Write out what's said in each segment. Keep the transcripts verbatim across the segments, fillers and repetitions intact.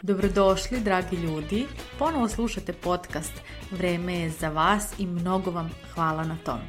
Dobrodošli, dragi ljudi. Ponovo slušate podcast Vreme je za vas i mnogo vam hvala na tome.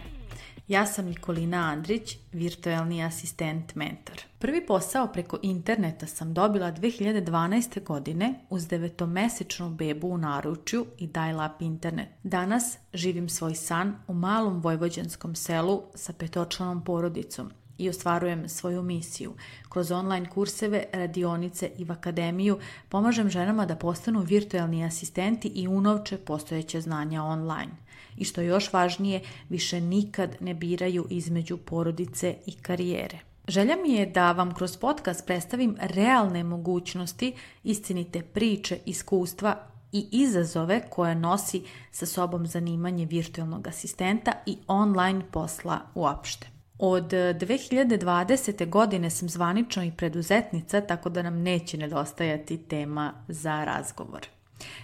Ja sam Nikolina Andrić, virtualni asistent mentor. Prvi posao preko interneta sam dobila dve hiljade dvanaeste. godine uz devetomesečnu bebu u naručju i dial-up internet. Danas živim svoj san u malom vojvođanskom selu sa petočlanom porodicom i ostvarujem svoju misiju. Kroz online kurseve, radionice i v akademiju pomažem ženama da postanu virtualni asistenti i unovče postojeće znanja online. I što je još važnije, više nikad ne biraju između porodice i karijere. Želja mi je da vam kroz podcast predstavim realne mogućnosti, istinite priče, iskustva i izazove koje nosi sa sobom zanimanje virtualnog asistenta i online posla uopšte. Od dve hiljade dvadesete. godine sam zvanično i preduzetnica, tako da nam neće nedostajati tema za razgovor.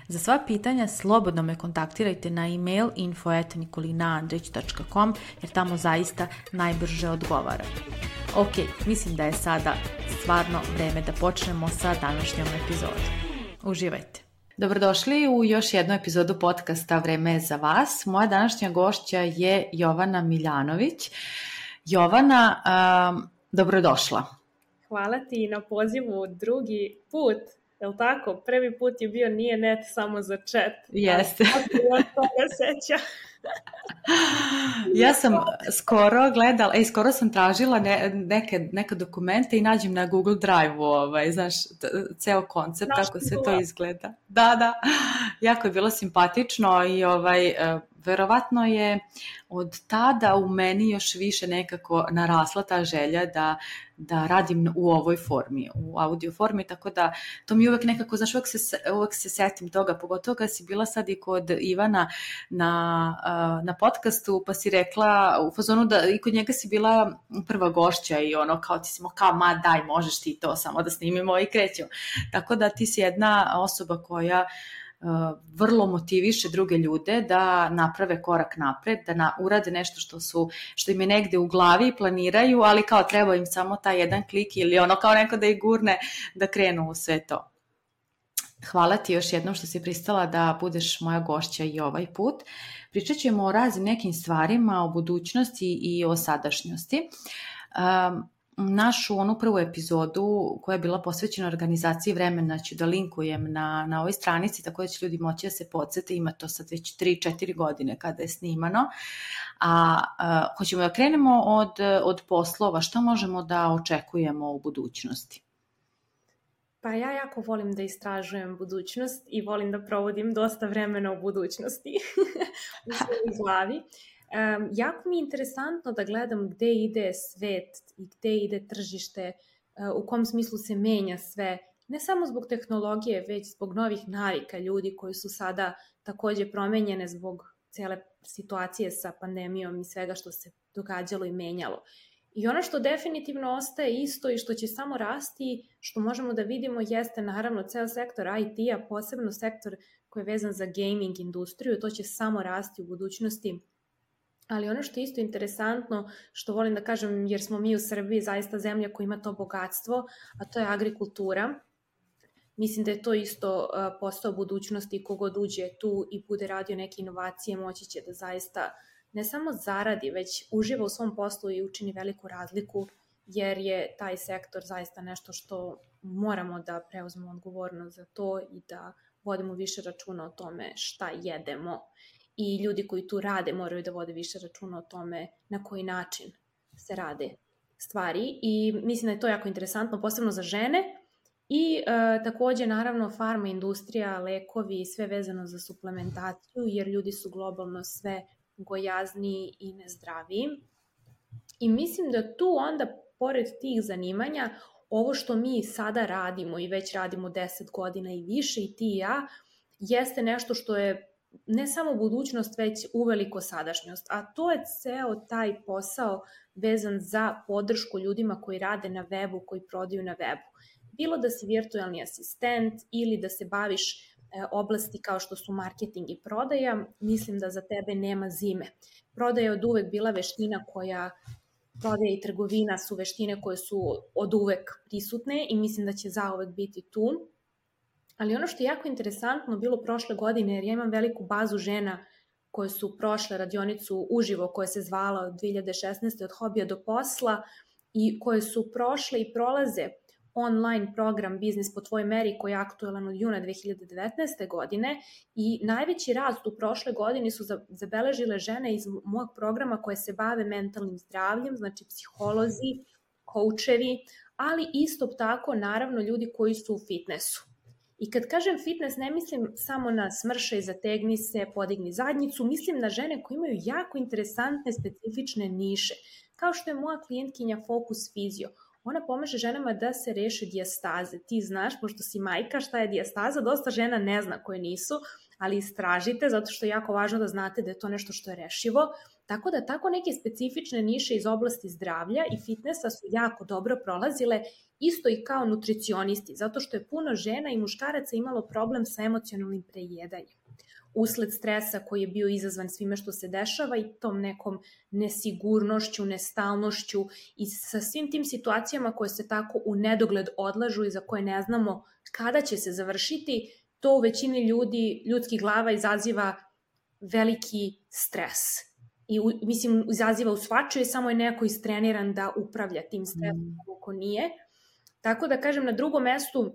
Za sva pitanja slobodno me kontaktirajte na email info at nikolinaandrić dot com jer tamo zaista najbrže odgovara. Ok, mislim da je sada stvarno vreme da počnemo sa današnjom epizodom. Uživajte! Dobrodošli u još jednu epizodu podcasta Vreme je za vas. Moja današnja gošća je Jovana Miljanović. Jovana, um, dobrodošla. Hvala ti na pozivu drugi put, je li tako? Prvi put je bio nije net samo za chat. Jeste. Od toga seća. Ja sam skoro gledala, ej, skoro sam tražila ne, neke, neke dokumente i nađem na Google Drive-u, ovaj, znaš, ceo koncept, Znaš kako sve to izgleda. Da, da, jako je bilo simpatično i ovaj, verovatno je od tada u meni još više nekako narasla ta želja da, da radim u ovoj formi, u audio formi, tako da to mi uvek nekako, znaš, uvek se, uvek se setim toga, pogotovo kad si bila sad i kod Ivana na, na podcastu, pa si rekla u fazonu da i kod njega si bila prva gošća i ono kao ti si mo kao ma daj možeš ti to samo da snimimo i krećemo. Tako da ti si jedna osoba koja Uh, vrlo motiviše druge ljude da naprave korak napred, da na, urade nešto što su, što im je negde u glavi, planiraju, ali kao treba im samo taj jedan klik ili ono kao neko da ih gurne da krenu u sve to. Hvala ti još jednom što si pristala da budeš moja gošća i ovaj put. Pričat ćemo o raznim nekim stvarima, o budućnosti i o sadašnjosti. Um, Našu onu prvu epizodu koja je bila posvećena organizaciji vremena ću da linkujem na, na ovoj stranici, tako da će ljudi moći da se podsjete, ima to sad već tri četiri godine kada je snimano. A, a hoćemo da krenemo od, od poslova, šta možemo da očekujemo u budućnosti? Pa ja jako volim da istražujem budućnost i volim da provodim dosta vremena u budućnosti u svojoj glavi. Um, jako mi je interesantno da gledam gde ide svet i gde ide tržište, uh, u kom smislu se menja sve, ne samo zbog tehnologije, već zbog novih navika ljudi koji su sada takođe promenjene zbog cele situacije sa pandemijom i svega što se događalo i menjalo. I ono što definitivno ostaje isto i što će samo rasti, što možemo da vidimo, jeste naravno ceo sektor I T-a, posebno sektor koji je vezan za gaming industriju, to će samo rasti u budućnosti. Ali ono što je isto interesantno, što volim da kažem, jer smo mi u Srbiji zaista zemlja koja ima to bogatstvo, a to je agrikultura. Mislim da je to isto posao budućnosti, kogod uđe tu i bude radio neke inovacije, moći će da zaista ne samo zaradi, već uživa u svom poslu i učini veliku razliku, jer je taj sektor zaista nešto što moramo da preuzmemo odgovornost za to i da vodimo više računa o tome šta jedemo. I ljudi koji tu rade moraju da vode više računa o tome na koji način se rade stvari. I mislim da je to jako interesantno, posebno za žene. I e, takođe, naravno, farma industrija, lekovi i sve vezano za suplementaciju, jer ljudi su globalno sve gojazniji i nezdraviji. I mislim da tu onda, pored tih zanimanja, ovo što mi sada radimo i već radimo deset godina i više i ti i ja, jeste nešto što je ne samo budućnost, već uveliko sadašnjost. A to je ceo taj posao vezan za podršku ljudima koji rade na webu, koji prodaju na webu. Bilo da si virtualni asistent ili da se baviš oblasti kao što su marketing i prodaja, mislim da za tebe nema zime. Prodaja je od uvek bila veština koja prodaja i trgovina su veštine koje su od uvek prisutne i mislim da će zauvek biti tu. Ali ono što je jako interesantno bilo prošle godine, jer ja imam veliku bazu žena koje su prošle radionicu uživo koja se zvala od dve hiljade šesnaeste od hobija do posla i koje su prošle i prolaze online program Biznis po tvojoj meri koji je aktualan od juna dve hiljade devetnaeste. godine i najveći rast u prošle godini su zabeležile žene iz mojeg programa koje se bave mentalnim zdravljem, znači psiholozi, koučevi, ali isto tako naravno ljudi koji su u fitnessu. I kad kažem fitness, ne mislim samo na smršaj, zategni se, podigni zadnjicu, mislim na žene koje imaju jako interesantne, specifične niše, kao što je moja klijentkinja Focus Physio. Ona pomaže ženama da se reše dijastaze. Ti znaš, pošto si majka, šta je dijastaza, dosta žena ne zna koje nisu, ali istražite, zato što je jako važno da znate da je to nešto što je rešivo. Tako da tako neke specifične niše iz oblasti zdravlja i fitnessa su jako dobro prolazile, isto i kao nutricionisti, zato što je puno žena i muškaraca imalo problem sa emocionalnim prejedanjem. Usled stresa koji je bio izazvan svime što se dešava i tom nekom nesigurnošću, nestalnošću i sa svim tim situacijama koje se tako u nedogled odlažu i za koje ne znamo kada će se završiti, to u većini ljudi, ljudskih glava izaziva veliki stres. I mislim, izaziva u svačiju, samo je neko istreniran da upravlja tim stresom, ako nije. Tako da kažem, na drugom mestu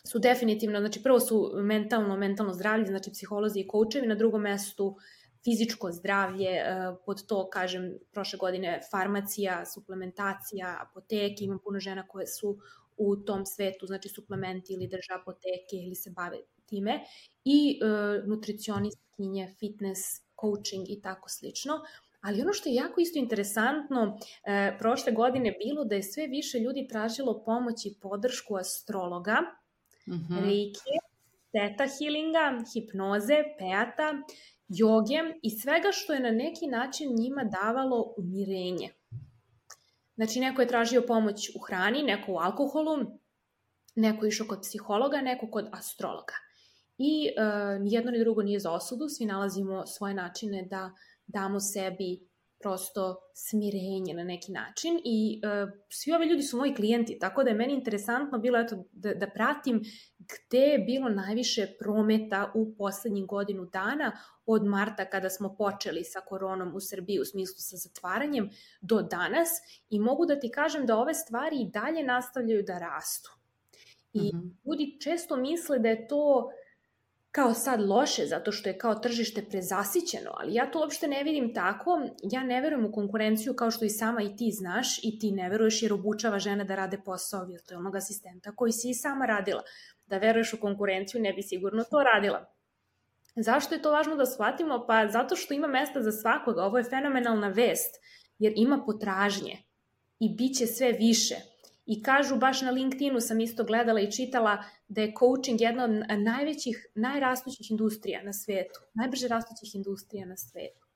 su definitivno, znači prvo su mentalno, mentalno zdravlje, znači psiholozi i koučevi, na drugom mestu fizičko zdravlje, pod to, kažem, prošle godine farmacija, suplementacija, apoteke, imam puno žena koje su u tom svetu, znači suplementi ili drže apoteke ili se bave time, i uh, nutricionistkinje, fitness, coaching i tako slično. Ali ono što je jako isto interesantno, e, prošle godine bilo da je sve više ljudi tražilo pomoć i podršku astrologa, mm-hmm. reiki, theta healinga, hipnoze, peata, joge i svega što je na neki način njima davalo umirenje. Znači, neko je tražio pomoć u hrani, neko u alkoholu, neko je išao kod psihologa, neko kod astrologa. I e, nijedno ni drugo nije za osudu, svi nalazimo svoje načine da damo sebi prosto smirenje na neki način i e, svi ovi ljudi su moji klijenti, tako da je meni interesantno bilo eto, da, da pratim gde je bilo najviše prometa u poslednjih godinu dana od marta kada smo počeli sa koronom u Srbiji u smislu sa zatvaranjem do danas i mogu da ti kažem da ove stvari i dalje nastavljaju da rastu. I mm-hmm. ljudi često misle da je to kao sad loše, zato što je kao tržište prezasićeno, ali ja to uopšte ne vidim tako. Ja ne verujem u konkurenciju kao što i sama i ti znaš i ti ne veruješ jer obučava žene da rade posao virtualnog asistenta koji si i sama radila. Da veruješ u konkurenciju ne bi sigurno to radila. Zašto je to važno da shvatimo? Pa zato što ima mesta za svakoga. Ovo je fenomenalna vest jer ima potražnje i bit će sve više. I kažu, baš na LinkedInu sam isto gledala i čitala da je coaching jedna od najvećih, najrastućih industrija na svetu. Najbrže rastućih industrija na svetu.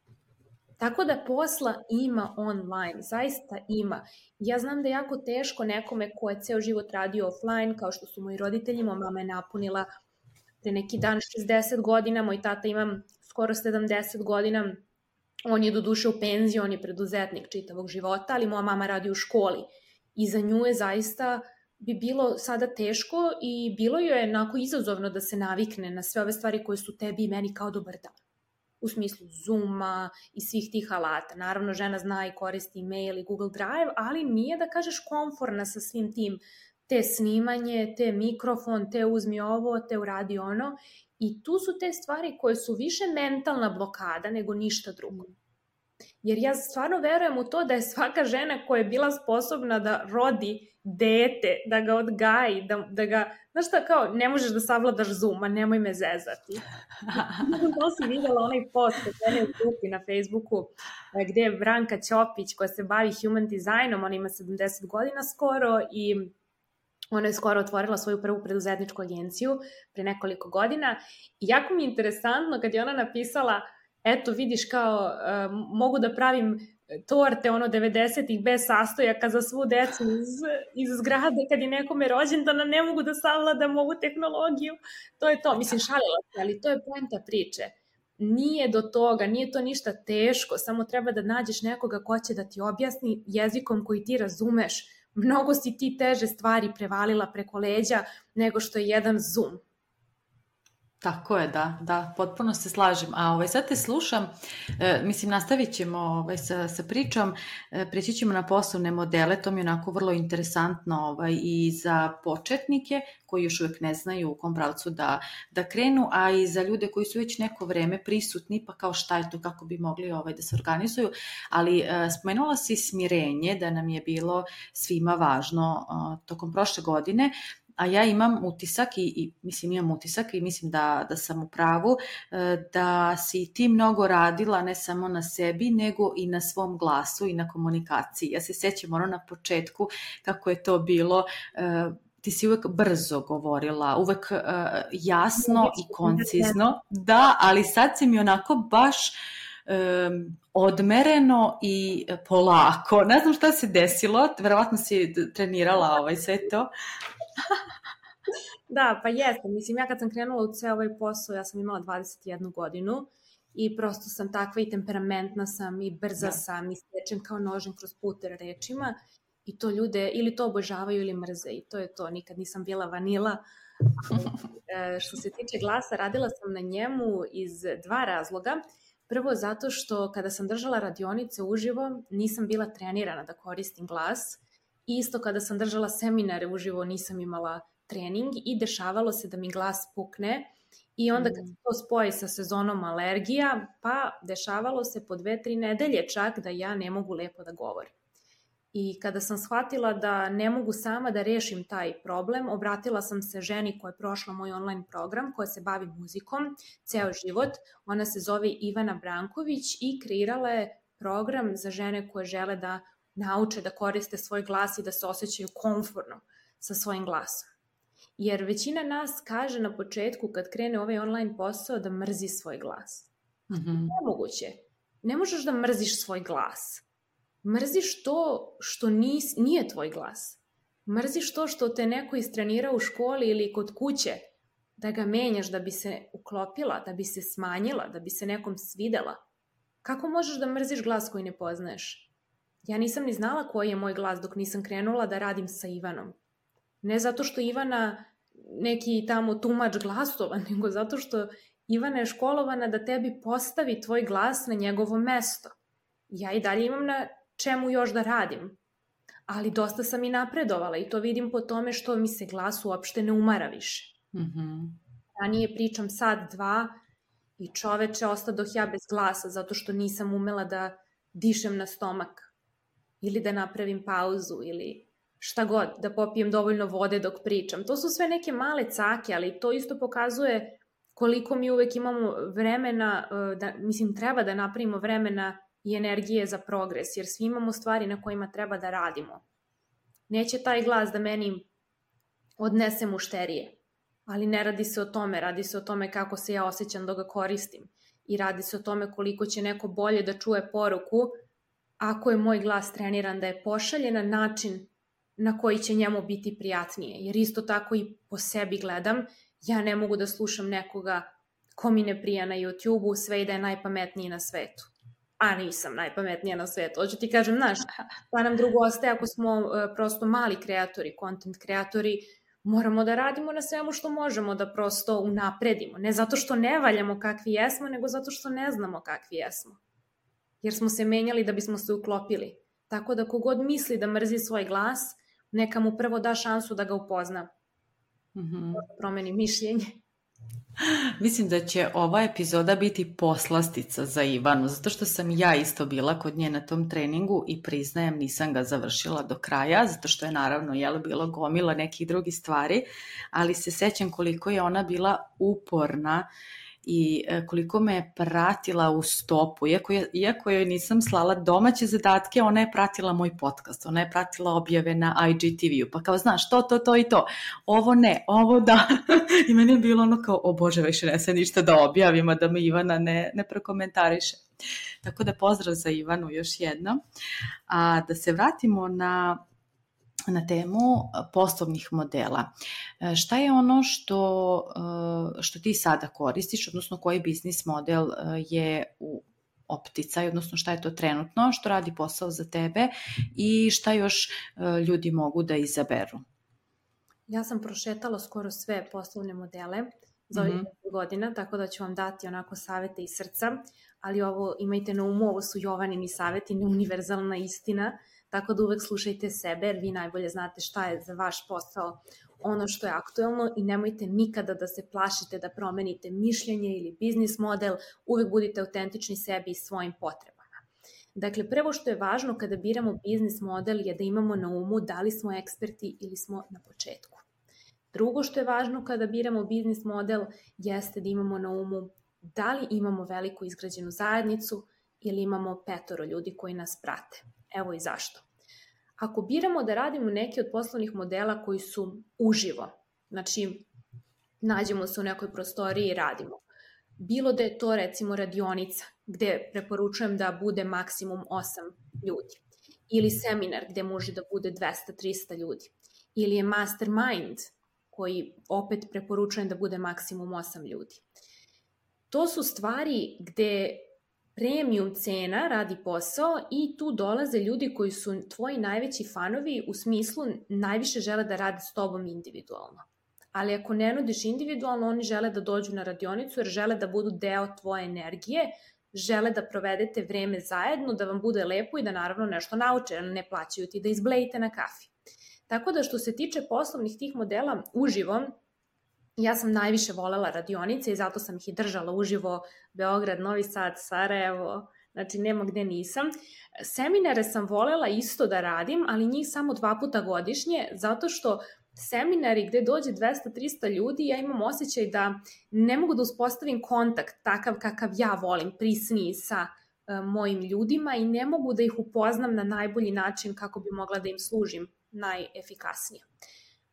Tako da posla ima online, zaista ima. Ja znam da je jako teško nekome ko je ceo život radio offline, kao što su moji roditelji, moja mama je napunila pre neki dan šezdeset godina, moj tata ima skoro sedamdeset godina, on je doduše u penziji, on je preduzetnik čitavog života, ali moja mama radi u školi. I za nju je zaista bi bilo sada teško i bilo joj je onako izazovno da se navikne na sve ove stvari koje su tebi i meni kao dobar dan. U smislu Zooma i svih tih alata. Naravno, žena zna i koristi e-mail i Google Drive, ali nije da kažeš komforna sa svim tim. Te snimanje, te mikrofon, te uzmi ovo, te uradi ono. I tu su te stvari koje su više mentalna blokada nego ništa drugo. Jer ja stvarno verujem u to da je svaka žena koja je bila sposobna da rodi dete, da ga odgaji, da, da ga, znaš šta, kao, ne možeš da savladaš Zoom, a nemoj me zezati. To si vidjela onaj post od mene u grupi na Facebooku gde je Branka Ćopić koja se bavi human designom, ona ima sedamdeset godina skoro i ona je skoro otvorila svoju prvu preduzetničku agenciju pre nekoliko godina i jako mi je interesantno kad je ona napisala eto vidiš kao uh, mogu da pravim torte ono devedesetih bez sastojaka za svu decu iz, iz zgrade kad je nekome rođendan, ne mogu da savladam ovu tehnologiju. To je to, mislim šalila se, ali to je poenta priče. nije do toga, nije to ništa teško, samo treba da nađeš nekoga ko će da ti objasni jezikom koji ti razumeš. Mnogo si ti teže stvari prevalila preko leđa nego što je jedan Zoom. Tako je, da, da, potpuno se slažem. A ovaj, sad te slušam, e, mislim, nastavit ćemo ovaj, sa, sa pričom, e, preći ćemo na poslovne modele, to mi je onako vrlo interesantno ovaj, i za početnike koji još uvijek ne znaju u kom pravcu da, da krenu, a i za ljude koji su već neko vreme prisutni, pa kao šta je to, kako bi mogli ovaj, da se organizuju. Ali e, spomenula si smirenje, da nam je bilo svima važno e, tokom prošle godine, a ja imam utisak i, i mislim imam utisak i mislim da, da sam u pravu, da si ti mnogo radila ne samo na sebi, nego i na svom glasu i na komunikaciji. Ja se sjećam ono na početku kako je to bilo, ti si uvek brzo govorila, uvek jasno i koncizno, da, ali sad si mi onako baš Um, odmereno i polako. Ne znam šta se desilo, verovatno si trenirala ovaj sve to. Da, pa jeste. Mislim, ja kad sam krenula u ceo ovaj posao, ja sam imala dvadeset jednu godinu i prosto sam takva i temperamentna sam i brza da. sam i stečem kao nožem kroz puter rečima i to ljude ili to obožavaju ili mrze i to je to. Nikad nisam bila vanila. E, što se tiče glasa, radila sam na njemu iz dva razloga. Prvo zato što kada sam držala radionice uživo, nisam bila trenirana da koristim glas. Isto kada sam držala seminare uživo, nisam imala trening i dešavalo se da mi glas pukne. I onda kad se to spoji sa sezonom alergija, pa dešavalo se po dve, tri nedelje čak da ja ne mogu lepo da govorim. I kada sam shvatila da ne mogu sama da rešim taj problem, obratila sam se ženi koja je prošla moj online program, koja se bavi muzikom ceo život. Ona se zove Ivana Branković i kreirala je program za žene koje žele da nauče da koriste svoj glas i da se osjećaju komfortno sa svojim glasom. Jer većina nas kaže na početku kad krene ovaj online posao da mrzi svoj glas. Mm-hmm. Nemoguće. Ne možeš da mrziš svoj glas. Mrziš to što nis, nije tvoj glas. Mrziš to što te neko istrenira u školi ili kod kuće, da ga menjaš da bi se uklopila, da bi se smanjila, da bi se nekom svidela. Kako možeš da mrziš glas koji ne poznaješ? Ja nisam ni znala koji je moj glas dok nisam krenula da radim sa Ivanom. Ne zato što Ivana neki tamo tumač glasova, nego zato što Ivana je školovana da tebi postavi tvoj glas na njegovo mesto. Ja i dalje imam na čemu još da radim, ali dosta sam i napredovala i to vidim po tome što mi se glas uopšte ne umara više. Mm-hmm. Ranije pričam sad dva i čoveče ostadoh ja bez glasa zato što nisam umela da dišem na stomak ili da napravim pauzu ili šta god, da popijem dovoljno vode dok pričam. To su sve neke male cake, ali to isto pokazuje koliko mi uvek imamo vremena, da, mislim treba da napravimo vremena i energije za progres, jer svi imamo stvari na kojima treba da radimo. Neće taj glas da meni odnese mušterije, ali ne radi se o tome, radi se o tome kako se ja osjećam dok ga koristim i radi se o tome koliko će neko bolje da čuje poruku ako je moj glas treniran da je pošalje na način na koji će njemu biti prijatnije, jer isto tako i po sebi gledam, ja ne mogu da slušam nekoga ko mi ne prija na YouTube-u sve i da je najpametniji na svetu. A nisam najpametnija na svetu. Hoću ti kažem, znaš, pa nam drugo ostaje ako smo uh, prosto mali kreatori, content kreatori, moramo da radimo na svemu što možemo, da prosto unapredimo. Ne zato što ne valjamo kakvi jesmo, nego zato što ne znamo kakvi jesmo. Jer smo se menjali da bismo se uklopili. Tako da kogod misli da mrzi svoj glas, neka mu prvo da šansu da ga upozna. Mm-hmm. Promeni mišljenje. Mislim da će ova epizoda biti poslastica za Ivanu, zato što sam ja isto bila kod nje na tom treningu i priznajem nisam ga završila do kraja, zato što je naravno jel, bilo gomila nekih drugih stvari, ali se sećam koliko je ona bila uporna i koliko me je pratila u stopu, iako, je, iako joj nisam slala domaće zadatke, ona je pratila moj podcast, ona je pratila objave na I G T V-u, pa kao znaš, to, to, to i to, ovo ne, ovo da, i meni je bilo ono kao, o Bože, više ne se ništa da objavim, a da me Ivana ne, ne prokomentariše. Tako da pozdrav za Ivanu još jedno. A da se vratimo na na temu poslovnih modela. Šta je ono što, što ti sada koristiš, odnosno koji biznis model je u opticaj, odnosno šta je to trenutno, što radi posao za tebe i šta još ljudi mogu da izaberu? Ja sam prošetala skoro sve poslovne modele za ovih mm-hmm. godina, tako da ću vam dati onako savete iz srca, ali ovo imajte na umu, ovo su Jovanini saveti, ne univerzalna istina, tako da uvek slušajte sebe, jer vi najbolje znate šta je za vaš posao ono što je aktuelno i nemojte nikada da se plašite da promenite mišljenje ili biznis model, uvek budite autentični sebi i svojim potrebama. Dakle, prvo što je važno kada biramo biznis model je da imamo na umu da li smo eksperti ili smo na početku. Drugo što je važno kada biramo biznis model jeste da imamo na umu da li imamo veliku izgrađenu zajednicu ili imamo petoro ljudi koji nas prate. Evo i zašto. Ako biramo da radimo neki od poslovnih modela koji su uživo, znači nađemo se u nekoj prostoriji i radimo, bilo da je to recimo radionica gde preporučujem da bude maksimum osam ljudi, ili seminar gde može da bude dvesta do trista ljudi, ili je mastermind koji opet preporučujem da bude maksimum osam ljudi. To su stvari gde premium cena radi posao i tu dolaze ljudi koji su tvoji najveći fanovi, u smislu najviše žele da rade s tobom individualno. Ali ako ne nudiš individualno, oni žele da dođu na radionicu jer žele da budu deo tvoje energije, žele da provedete vreme zajedno, da vam bude lepo i da naravno nešto nauče, jer ne plaćaju ti da izblejite na kafi. Tako da što se tiče poslovnih tih modela uživo, ja sam najviše volela radionice i zato sam ih i držala uživo, Beograd, Novi Sad, Sarajevo, znači nema gde nisam. Seminare sam volela isto da radim, ali njih samo dva puta godišnje, zato što seminari gde dođe dvesta do trista ljudi, ja imam osjećaj da ne mogu da uspostavim kontakt takav kakav ja volim, prisniji sa uh, mojim ljudima i ne mogu da ih upoznam na najbolji način kako bi mogla da im služim najefikasnije.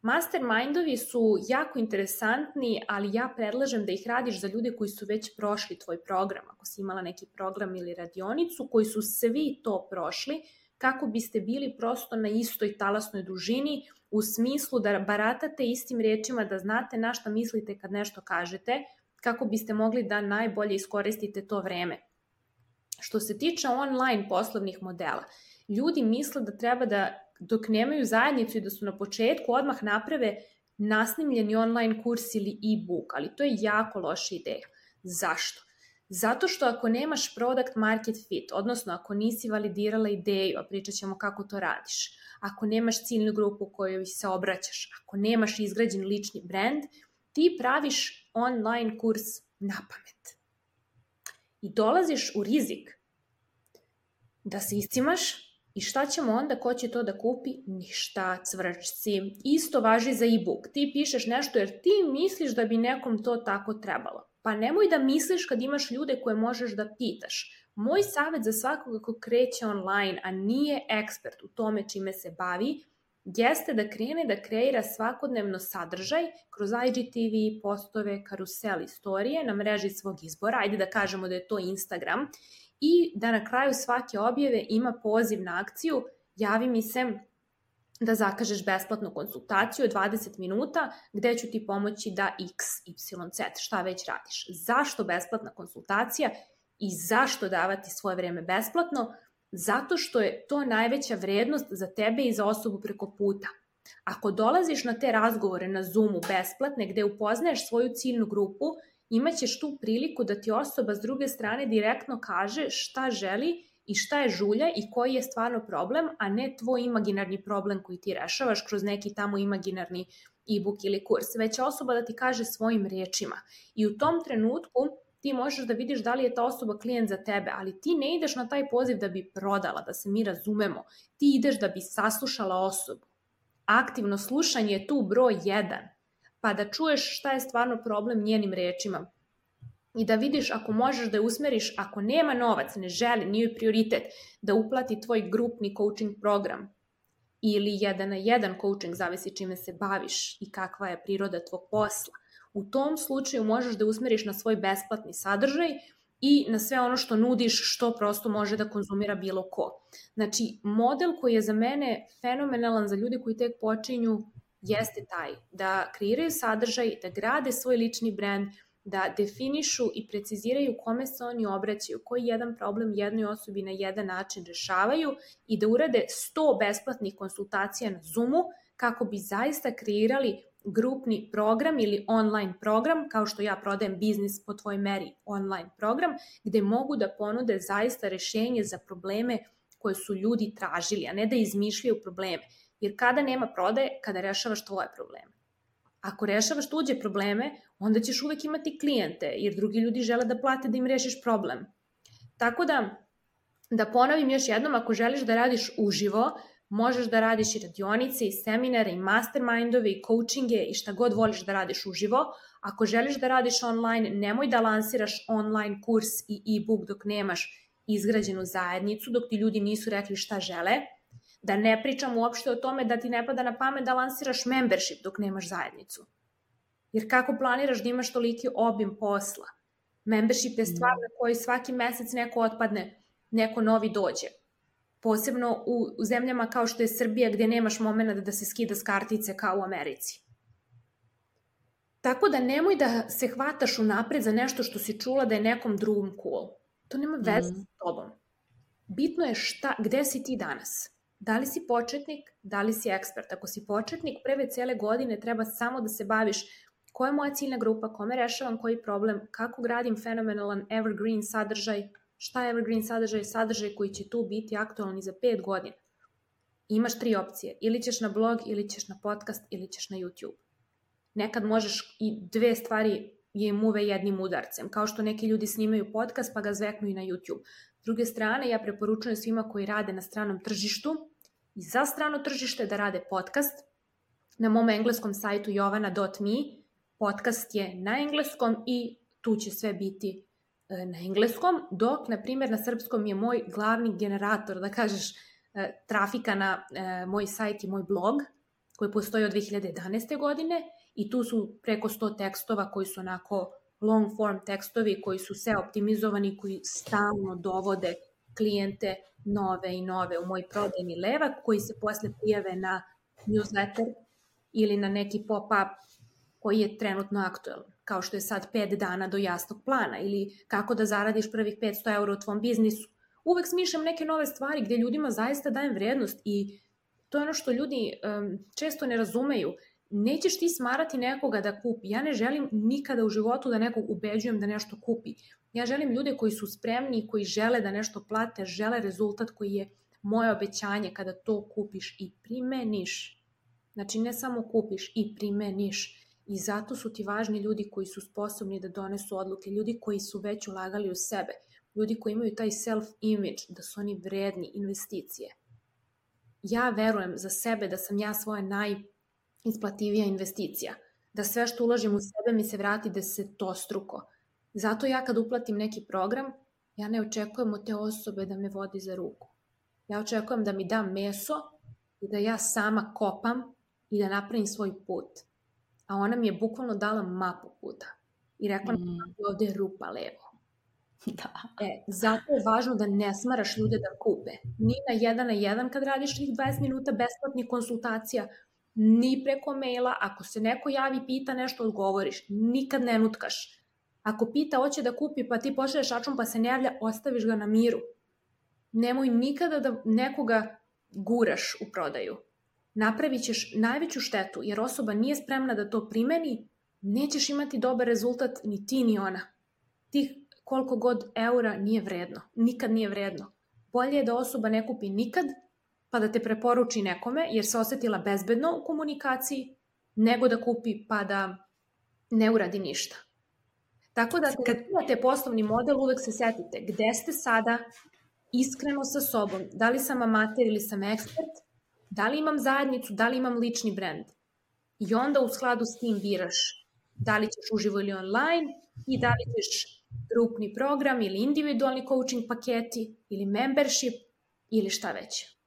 Mastermindovi su jako interesantni, ali ja predlažem da ih radiš za ljude koji su već prošli tvoj program. Ako si imala neki program ili radionicu, koji su svi to prošli, kako biste bili prosto na istoj talasnoj dužini, u smislu da baratate istim rečima, da znate na šta mislite kad nešto kažete, kako biste mogli da najbolje iskoristite to vreme. Što se tiče online poslovnih modela, ljudi misle da treba da dok nemaju zajednicu i da su na početku odmah naprave nasnimljeni online kurs ili e-book, ali to je jako loša ideja. Zašto? Zato što ako nemaš product market fit, odnosno ako nisi validirala ideju, a pričat ćemo kako to radiš, ako nemaš ciljnu grupu kojoj se obraćaš, ako nemaš izgrađen lični brand, ti praviš online kurs na pamet. I dolaziš u rizik da se iscimaš. I šta ćemo onda, ko će to da kupi? Ništa, cvrčci. Isto važi za e-book. Ti pišeš nešto jer ti misliš da bi nekom to tako trebalo. Pa nemoj da misliš kad imaš ljude koje možeš da pitaš. Moj savjet za svakoga ko kreće online, a nije ekspert u tome čime se bavi, jeste da krene da kreira svakodnevno sadržaj kroz I G T V, postove, karusel, istorije na mreži svog izbora. Ajde da kažemo da je to Instagram. I da na kraju svake objave ima poziv na akciju, javi mi se da zakažeš besplatnu konsultaciju od dvadeset minuta gde ću ti pomoći da X, Y, Z, šta već radiš. Zašto besplatna konsultacija i zašto davati svoje vreme besplatno? Zato što je to najveća vrednost za tebe i za osobu preko puta. Ako dolaziš na te razgovore na Zoomu besplatne gde upoznaješ svoju ciljnu grupu, imaćeš tu priliku da ti osoba s druge strane direktno kaže šta želi i šta je žulja i koji je stvarno problem, a ne tvoj imaginarni problem koji ti rešavaš kroz neki tamo imaginarni e-book ili kurs. Već je osoba da ti kaže svojim rečima. I u tom trenutku ti možeš da vidiš da li je ta osoba klijent za tebe, ali ti ne ideš na taj poziv da bi prodala, da se mi razumemo. Ti ideš da bi saslušala osobu. Aktivno slušanje je tu broj jedan. Pa da čuješ šta je stvarno problem njenim rečima i da vidiš ako možeš da je usmeriš, ako nema novac, ne želi, nije prioritet, da uplati tvoj grupni coaching program ili jedan na jedan coaching, zavisi čime se baviš i kakva je priroda tvog posla. U tom slučaju možeš da usmeriš na svoj besplatni sadržaj i na sve ono što nudiš, što prosto može da konzumira bilo ko. Znači, model koji je za mene fenomenalan za ljude koji tek počinju jeste taj da kreiraju sadržaj, da grade svoj lični brand, da definišu i preciziraju kome se oni obraćaju, koji jedan problem jednoj osobi na jedan način rešavaju i da urade sto besplatnih konsultacija na Zoomu kako bi zaista kreirali grupni program ili online program, kao što ja prodajem biznis po tvojoj meri online program, gde mogu da ponude zaista rešenje za probleme koje su ljudi tražili, a ne da izmišljaju probleme. Jer kada nema prodaje, kada rešavaš tvoje probleme. Ako rešavaš tuđe probleme, onda ćeš uvek imati klijente, jer drugi ljudi žele da plate da im rešiš problem. Tako da, da ponovim još jednom, ako želiš da radiš uživo, možeš da radiš i radionice, i seminare, i mastermindove, i coachinge, i šta god voliš da radiš uživo. Ako želiš da radiš online, nemoj da lansiraš online kurs i e-book dok nemaš izgrađenu zajednicu, dok ti ljudi nisu rekli šta žele. Da ne pričam uopšte o tome da ti ne pada na pamet da lansiraš membership dok nemaš zajednicu. Jer kako planiraš da imaš toliki obim posla? Membership je stvar na kojoj svaki mesec neko otpadne, neko novi dođe. Posebno u, u zemljama kao što je Srbija gde nemaš momenta da se skida s kartice kao u Americi. Tako da nemoj da se hvataš unapred za nešto što si čula da je nekom drugom cool. To nema veze mm. s tobom. Bitno je šta, gde si ti danas. Da li si početnik, da li si ekspert. Ako si početnik, prve cele godine treba samo da se baviš koja je moja ciljna grupa, kome rešavam koji problem, kako gradim fenomenalan evergreen sadržaj, šta je evergreen sadržaj, sadržaj koji će tu biti aktualni za pet godina. Imaš tri opcije, ili ćeš na blog, ili ćeš na podcast, ili ćeš na YouTube. Nekad možeš i dve stvari je muve jednim udarcem, kao što neki ljudi snimaju podcast pa ga zveknu i na YouTube. S druge strane, ja preporučujem svima koji rade na stranom tržištu i za strano tržište da rade podcast. Na mom engleskom sajtu jovana dot me podcast je na engleskom i tu će sve biti na engleskom, dok, na primjer, na srpskom je moj glavni generator, da kažeš, trafika na moj sajt i moj blog, koji postoji od dve hiljade jedanaeste. godine i tu su preko sto tekstova koji su onako long form tekstovi, koji su sve optimizovani, koji stalno dovode klijente nove i nove u moj prodajni levak, koji se posle prijave na newsletter ili na neki pop-up koji je trenutno aktualan, kao što je sad pet dana do jasnog plana ili kako da zaradiš prvih petsto eura u tvom biznisu. Uvek smišljam neke nove stvari gde ljudima zaista dajem vrednost i to je ono što ljudi um, često ne razumeju. Nećeš ti smarati nekoga da kupi. Ja ne želim nikada u životu da nekog ubeđujem da nešto kupi. Ja želim ljude koji su spremni i koji žele da nešto plate, žele rezultat koji je moje obećanje kada to kupiš i primeniš. Znači ne samo kupiš i primeniš. I zato su ti važni ljudi koji su sposobni da donesu odluke, ljudi koji su već ulagali u sebe, ljudi koji imaju taj self-image, da su oni vredni investicije. Ja verujem za sebe da sam ja svoja najisplativija investicija, da sve što uložim u sebe mi se vrati desetostruko. Zato ja kad uplatim neki program, ja ne očekujem od te osobe da me vodi za ruku. Ja očekujem da mi da meso i da ja sama kopam i da napravim svoj put. A ona mi je bukvalno dala mapu puta i rekla mi mm. da ovde je rupa levo. Da. E, zato je važno da ne smaraš ljude da kupe. Ni na jedan na jedan kad radiš tih dvadeset minuta besplatnih konsultacija, ni preko maila. Ako se neko javi, pita nešto, odgovoriš. Nikad ne nutkaš. Ako pita, hoće da kupi, pa ti pošalješ račun pa se ne javlja, ostaviš ga na miru. Nemoj nikada da nekoga guraš u prodaju. Napravit ćeš najveću štetu, jer osoba nije spremna da to primeni, nećeš imati dobar rezultat ni ti ni ona. Tih koliko god eura nije vredno, nikad nije vredno. Bolje je da osoba ne kupi nikad, pa da te preporuči nekome, jer se osetila bezbedno u komunikaciji, nego da kupi pa da ne uradi ništa. Tako da kad imate poslovni model, uvek se setite gde ste sada, iskreno sa sobom, da li sam amater ili sam ekspert, da li imam zajednicu, da li imam lični brand. I onda u skladu s tim biraš da li ćeš uživo ili online i da li ćeš grupni program ili individualni coaching paketi ili membership ili šta već.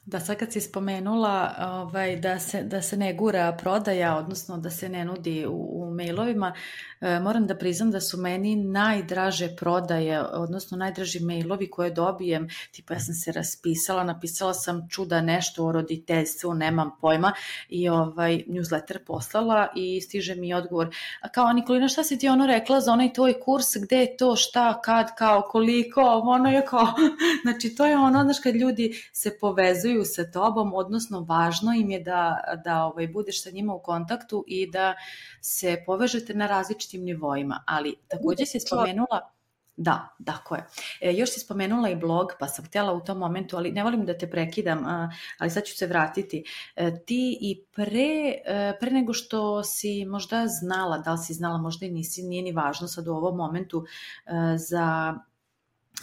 Da, sad kad si spomenula ovaj, da, se, da se ne gura prodaja, odnosno da se ne nudi u, u mailovima, e, moram da priznam da su meni najdraže prodaje, odnosno najdraži mailovi koje dobijem, tipa ja sam se raspisala, napisala sam čuda nešto o roditeljstvu, nemam pojma, i ovaj newsletter poslala i stiže mi odgovor, a kao Nikolina, šta si ti ono rekla za onaj tvoj kurs, gde je to, šta, kad, kao, koliko, ono je kao, znači to je ono, znaš, kad ljudi se povezuju sa tobom, odnosno važno im je da, da ovaj, budeš sa njima u kontaktu i da se povežete na različitim nivoima, ali takođe si spomenula, da, tako je, e, još si spomenula i blog, pa sam htjela u tom momentu, ali ne volim da te prekidam, a, ali sad ću se vratiti, e, ti i pre, e, pre nego što si možda znala, da li si znala, možda i nisi, nije ni važno sad u ovom momentu, e, za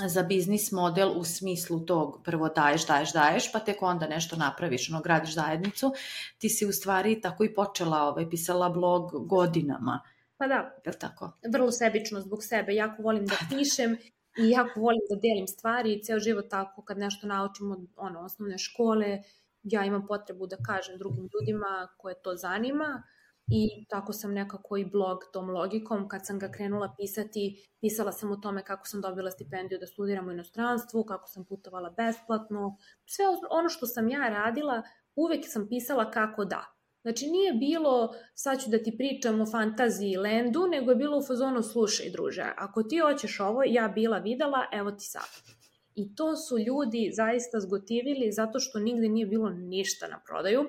za biznis model u smislu tog prvo daješ, daješ, daješ, pa tek onda nešto napraviš, ono, gradiš zajednicu, ti si u stvari tako i počela, ovaj, pisala blog godinama. Pa da, je li tako? Vrlo sebično zbog sebe, jako volim da pišem i jako volim da delim stvari i ceo život tako, kad nešto naučim od ono, osnovne škole, ja imam potrebu da kažem drugim ljudima koje to zanima. I tako sam nekako i blog tom logikom, kad sam ga krenula pisati, pisala sam o tome kako sam dobila stipendiju da studiram u inostranstvu, kako sam putovala besplatno, sve ono što sam ja radila, uvek sam pisala kako da. Znači nije bilo sad ću da ti pričam o fantaziji landu, nego je bilo u fazonu slušaj druže, ako ti hoćeš ovo, ja bila videla, evo ti sad. I to su ljudi zaista zgotivili zato što nigde nije bilo ništa na prodaju.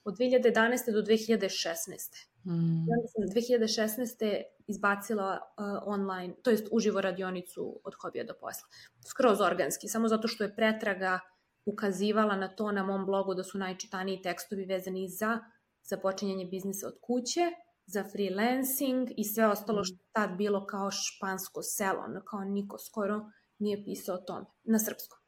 Od dve hiljade jedanaeste do dve hiljade šesnaeste. Mm. Ja sam dve hiljade šesnaeste izbacila uh, online, to jest uživo radionicu od hobija do posla. Skroz organski, samo zato što je pretraga ukazivala na to na mom blogu da su najčitaniji tekstovi vezani za započinjanje biznisa od kuće, za freelancing i sve ostalo mm. što je tad bilo kao špansko selo, kao niko skoro nije pisao o tome, na srpskom.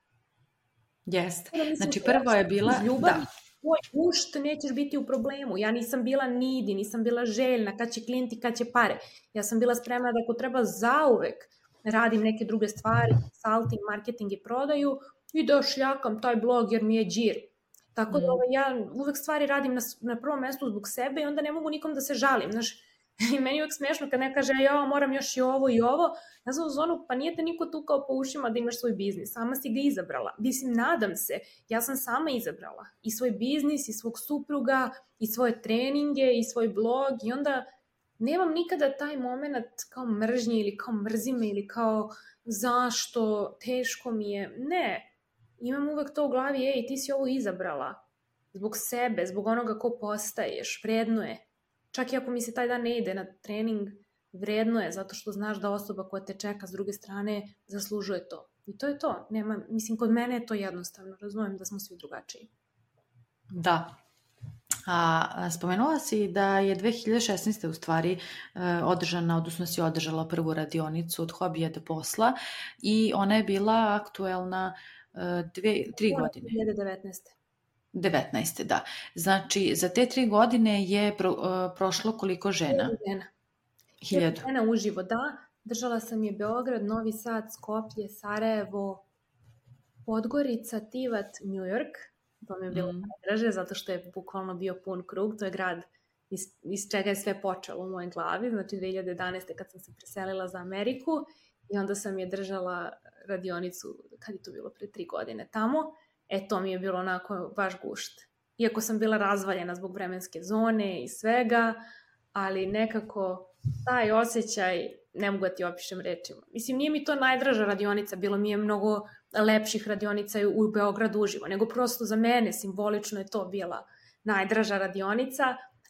Jeste, znači prvo je bila... Ljubav, da. Tvoj ušt, nećeš biti u problemu. Ja nisam bila nidi, nisam bila željna, kad će klijenti, kad će pare. Ja sam bila spremna da ako treba zauvek radim neke druge stvari, consulting, marketing i prodaju i da šljakam taj blog jer mi je džir. Tako da ovaj, ja uvek stvari radim na, na prvom mestu zbog sebe i onda ne mogu nikom da se žalim. Znaš, i meni je uvek smiješno kad ne kaže ja moram još i ovo i ovo. Ja sam u zonu, pa nije te niko tukao po ušima da imaš svoj biznis. Sama si ga izabrala. Mislim, nadam se. Ja sam sama izabrala. I svoj biznis, i svog supruga, i svoje treninge, i svoj blog. I onda nemam nikada taj moment kao mržnje ili kao mrzime ili kao zašto, teško mi je. Ne. Imam uvek to u glavi, ej, ti si ovo izabrala. Zbog sebe, zbog onoga ko postaješ. Vredno je. Čak i ako mi se taj dan ne ide na trening, vredno je, zato što znaš da osoba koja te čeka s druge strane zaslužuje to. I to je to. Nema, mislim, kod mene je to jednostavno. Razumijem da smo svi drugačiji. Da. A, spomenula si da je dve hiljade šesnaeste u stvari održana, odnosno si održala prvu radionicu od hobija do posla i ona je bila aktuelna dve, tri godine. dve hiljade devetnaeste. devetnaeste, da. Znači, za te tri godine je pro, uh, prošlo koliko žena? Žena. Hiljadu. Žena uživo, da. Držala sam je Beograd, Novi Sad, Skoplje, Sarajevo, Podgorica, Tivat, New York. To mi je bilo mm. najdraže, zato što je bukvalno bio pun krug. To je grad iz, iz čega je sve počelo u mojoj glavi. Znači, dve hiljade jedanaeste kad sam se preselila za Ameriku i onda sam je držala radionicu, kad je to bilo, pre tri godine tamo. E, to mi je bilo onako baš gušt. Iako sam bila razvaljena zbog vremenske zone i svega, ali nekako taj osjećaj, ne mogu da ti opišem rečima. Mislim, nije mi to najdraža radionica, bilo mi je mnogo lepših radionica u Beogradu uživo, nego prosto za mene simbolično je to bila najdraža radionica,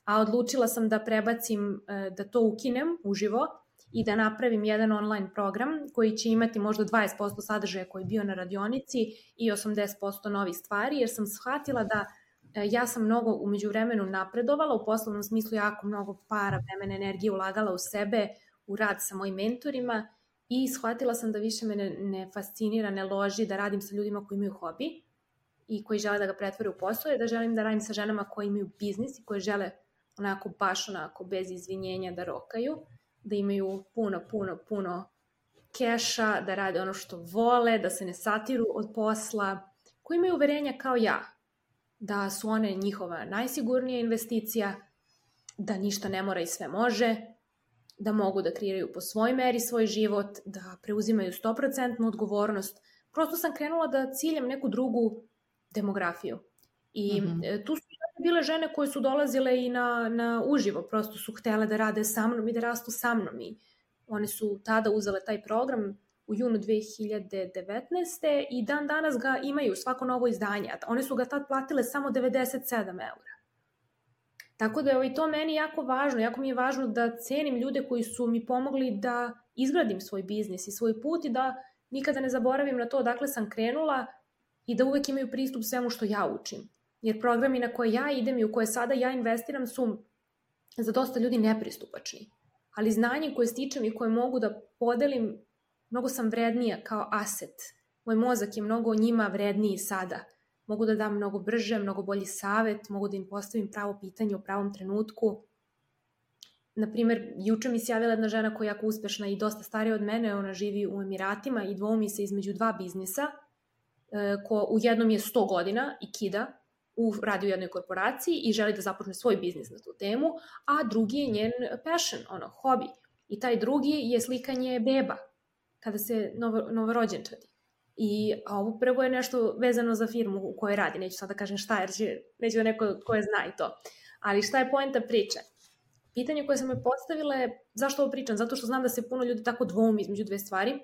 a odlučila sam da prebacim, da to ukinem uživo i da napravim jedan online program koji će imati možda dvadeset posto sadržaja koji je bio na radionici i osamdeset posto novih stvari, jer sam shvatila da ja sam mnogo u međuvremenu napredovala, u poslovnom smislu jako mnogo para, vremena, energije ulagala u sebe, u rad sa mojim mentorima i shvatila sam da više me ne, ne fascinira, ne loži da radim sa ljudima koji imaju hobi i koji žele da ga pretvore u posao, i da želim da radim sa ženama koji imaju biznis i koji žele onako baš onako bez izvinjenja da rokaju, da imaju puno, puno, puno keša, da rade ono što vole, da se ne satiru od posla, koji imaju uverenja kao ja. da su one njihova najsigurnija investicija, da ništa ne mora i sve može, da mogu da kreiraju po svoj meri svoj život, da preuzimaju sto posto odgovornost. Prosto sam krenula da ciljam neku drugu demografiju. I mm-hmm. tu su bile žene koje su dolazile i na, na uživo, prosto su htele da rade sa mnom i da rastu sa mnom. I one su tada uzele taj program u junu dve hiljade devetnaeste. i dan danas ga imaju, svako novo izdanje. One su ga tad platile samo devedeset sedam eura. Tako da je to meni jako važno. Jako mi je važno da cenim ljude koji su mi pomogli da izgradim svoj biznis i svoj put i da nikada ne zaboravim na to odakle sam krenula i da uvek imaju pristup svemu što ja učim. Jer programi na koje ja idem i u koje sada ja investiram su za dosta ljudi nepristupačni. Ali znanje koje stičem i koje mogu da podelim, mnogo sam vrednija kao aset. Moj mozak je mnogo njima vredniji sada. Mogu da dam mnogo brže, mnogo bolji savet, mogu da im postavim pravo pitanje u pravom trenutku. Naprimer, juče mi se javila jedna žena koja je jako uspešna i dosta starija od mene, ona živi u Emiratima i dvoumi se između dva biznisa, ko u jednom je sto godina i kida, u, radi u jednoj korporaciji i želi da započne svoj biznis na tu temu, a drugi je njen passion, ono, hobi. I taj drugi je slikanje beba, kada se novo, novorođenčadi. I a ovo prvo je nešto vezano za firmu u kojoj radi, neću sad da kažem šta, jer će, neću da neko koje zna i to. Ali šta je poenta priče? Pitanje koje sam me postavila je, zašto ovo pričam? Zato što znam da se puno ljudi tako dvoumi između dve stvari.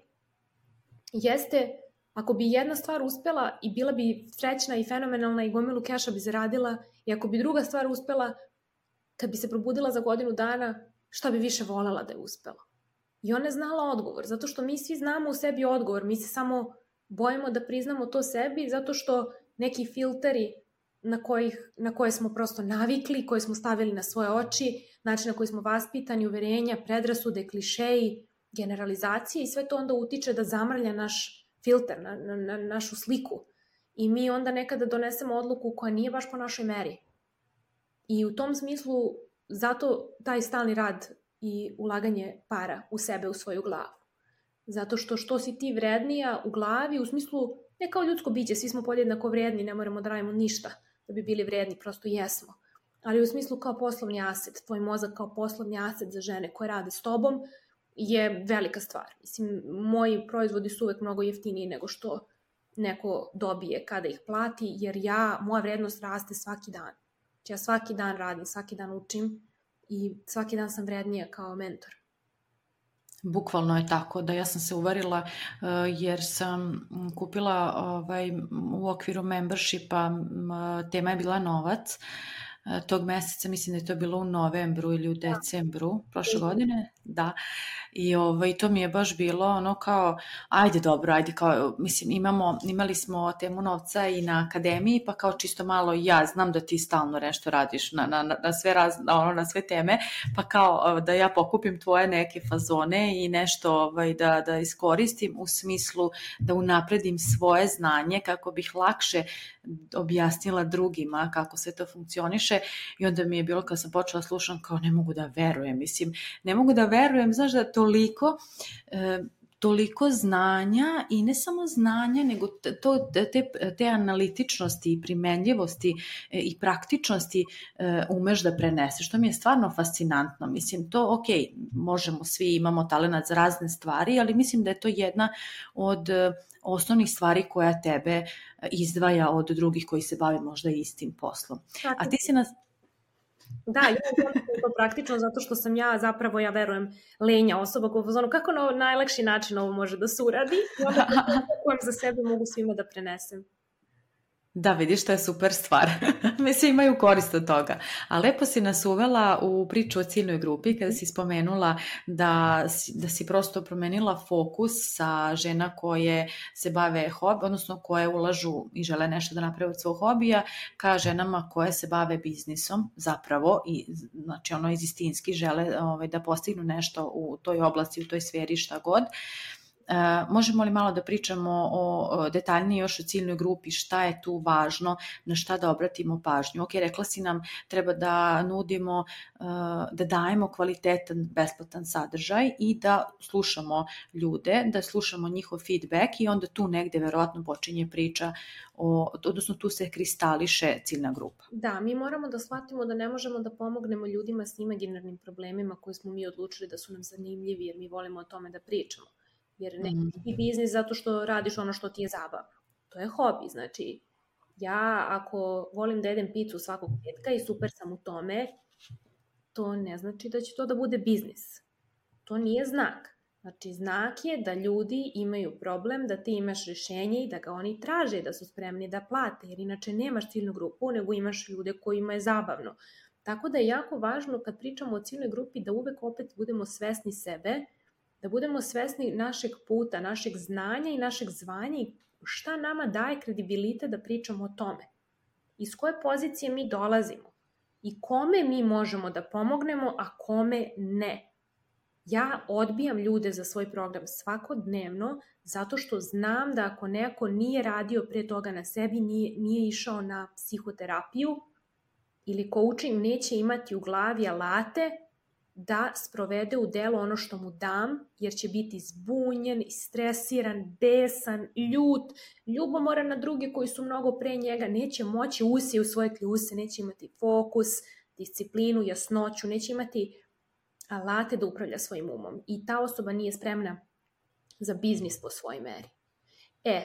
Jeste, ako bi jedna stvar uspela i bila bi srećna i fenomenalna i gomilu keša bi zaradila, i ako bi druga stvar uspela, kad bi se probudila za godinu dana, šta bi više voljela da je uspela? I ona je znala odgovor, zato što mi svi znamo u sebi odgovor, mi se samo bojimo da priznamo to sebi, zato što neki filteri na, kojih, na koje smo prosto navikli, koje smo stavili na svoje oči, način na koji smo vaspitani, uverenja, predrasude, klišeji, generalizacije i sve to onda utiče da zamrlja naš filter, na, na, na našu sliku. I mi onda nekada donesemo odluku koja nije baš po našoj meri. I u tom smislu, zato taj stalni rad i ulaganje para u sebe, u svoju glavu. Zato što što si ti vrednija u glavi, u smislu, ne kao ljudsko biće, svi smo podjednako vredni, ne moramo da radimo ništa da bi bili vredni, prosto jesmo. Ali u smislu kao poslovni aset, tvoj mozak kao poslovni aset za žene koje rade s tobom je velika stvar. Mislim, moji proizvodi su uvek mnogo jeftiniji nego što neko dobije kada ih plati, jer ja, moja vrednost raste svaki dan. Ja svaki dan radim, svaki dan učim i svaki dan sam vrednija kao mentor. Bukvalno je tako, da ja sam se uverila jer sam kupila ovaj, u okviru membershipa, tema je bila novac, tog meseca, mislim da je to bilo u novembru ili u decembru prošle godine, da, i ovaj, to mi je baš bilo ono kao, ajde dobro, ajde kao, mislim, imamo, imali smo temu novca i na akademiji, pa kao čisto malo, ja znam da ti stalno nešto radiš na, na, na, sve, raz, na, ono, na sve teme, pa kao da ja pokupim tvoje neke fazone i nešto ovaj, da, da iskoristim u smislu da unapredim svoje znanje kako bih lakše objasnila drugima kako sve to funkcioniše. I onda mi je bilo kad sam počela slušam kao ne mogu da verujem, mislim, ne mogu da verujem, znaš da toliko, e, toliko znanja i ne samo znanja, nego to, te, te analitičnosti i primenljivosti e, i praktičnosti e, umeš da preneseš, što mi je stvarno fascinantno, mislim, to ok, možemo, svi imamo talenat za razne stvari, ali mislim da je to jedna od osnovnih stvari koja tebe izdvaja od drugih koji se bave možda istim poslom. Tako. A ti si nas... Da, ja znam to praktično zato što sam ja zapravo, ja verujem, lenja osoba koja je kako na najlakši način ovo može da se uradi i onda kojem za sebe mogu svima da prenesem. Da, vidiš, to je super stvar. Mislim, imaju korist od toga. A lepo si nas uvela u priču o ciljnoj grupi kada si spomenula da, da si prosto promenila fokus sa žena koje se bave hobi, odnosno koje ulažu i žele nešto da naprave od svog hobija, ka ženama koje se bave biznisom zapravo i znači ono iz istinski žele ovaj, da postignu nešto u toj oblasti, u toj sferi, šta god. možemo li malo da pričamo o detaljnije još o ciljnoj grupi, šta je tu važno, na šta da obratimo pažnju? Ok, rekla si nam treba da nudimo, da dajemo kvalitetan, besplatan sadržaj i da slušamo ljude, da slušamo njihov feedback i onda tu negde verovatno počinje priča, o, odnosno tu se kristališe ciljna grupa. Da, mi moramo da shvatimo da ne možemo da pomognemo ljudima s imaginarnim problemima koje smo mi odlučili da su nam zanimljivi jer mi volimo o tome da pričamo. Jer ne mm. ti biznis zato što radiš ono što ti je zabavno. To je hobi, znači ja ako volim da jedem picu svakog petka i super sam u tome, to ne znači da će to da bude biznis. To nije znak. Znači znak je da ljudi imaju problem, da ti imaš rješenje i da ga oni traže, da su spremni da plate, jer inače nemaš ciljnu grupu, nego imaš ljude kojima je zabavno. Tako da je jako važno kad pričamo o ciljnoj grupi da uvek opet budemo svesni sebe, da budemo svesni našeg puta, našeg znanja i našeg zvanja i šta nama daje kredibilitet da pričamo o tome. Iz koje pozicije mi dolazimo i kome mi možemo da pomognemo, a kome ne. Ja odbijam ljude za svoj program svakodnevno zato što znam da ako neko nije radio pre toga na sebi, nije, nije išao na psihoterapiju ili coaching, neće imati u glavi alate da sprovede u delo ono što mu dam, jer će biti zbunjen, stresiran, besan, ljut, ljubomoran na druge koji su mnogo pre njega, neće moći usi u svoje kljuse, neće imati fokus, disciplinu, jasnoću, neće imati alate da upravlja svojim umom. I ta osoba nije spremna za biznis po svojoj meri. E,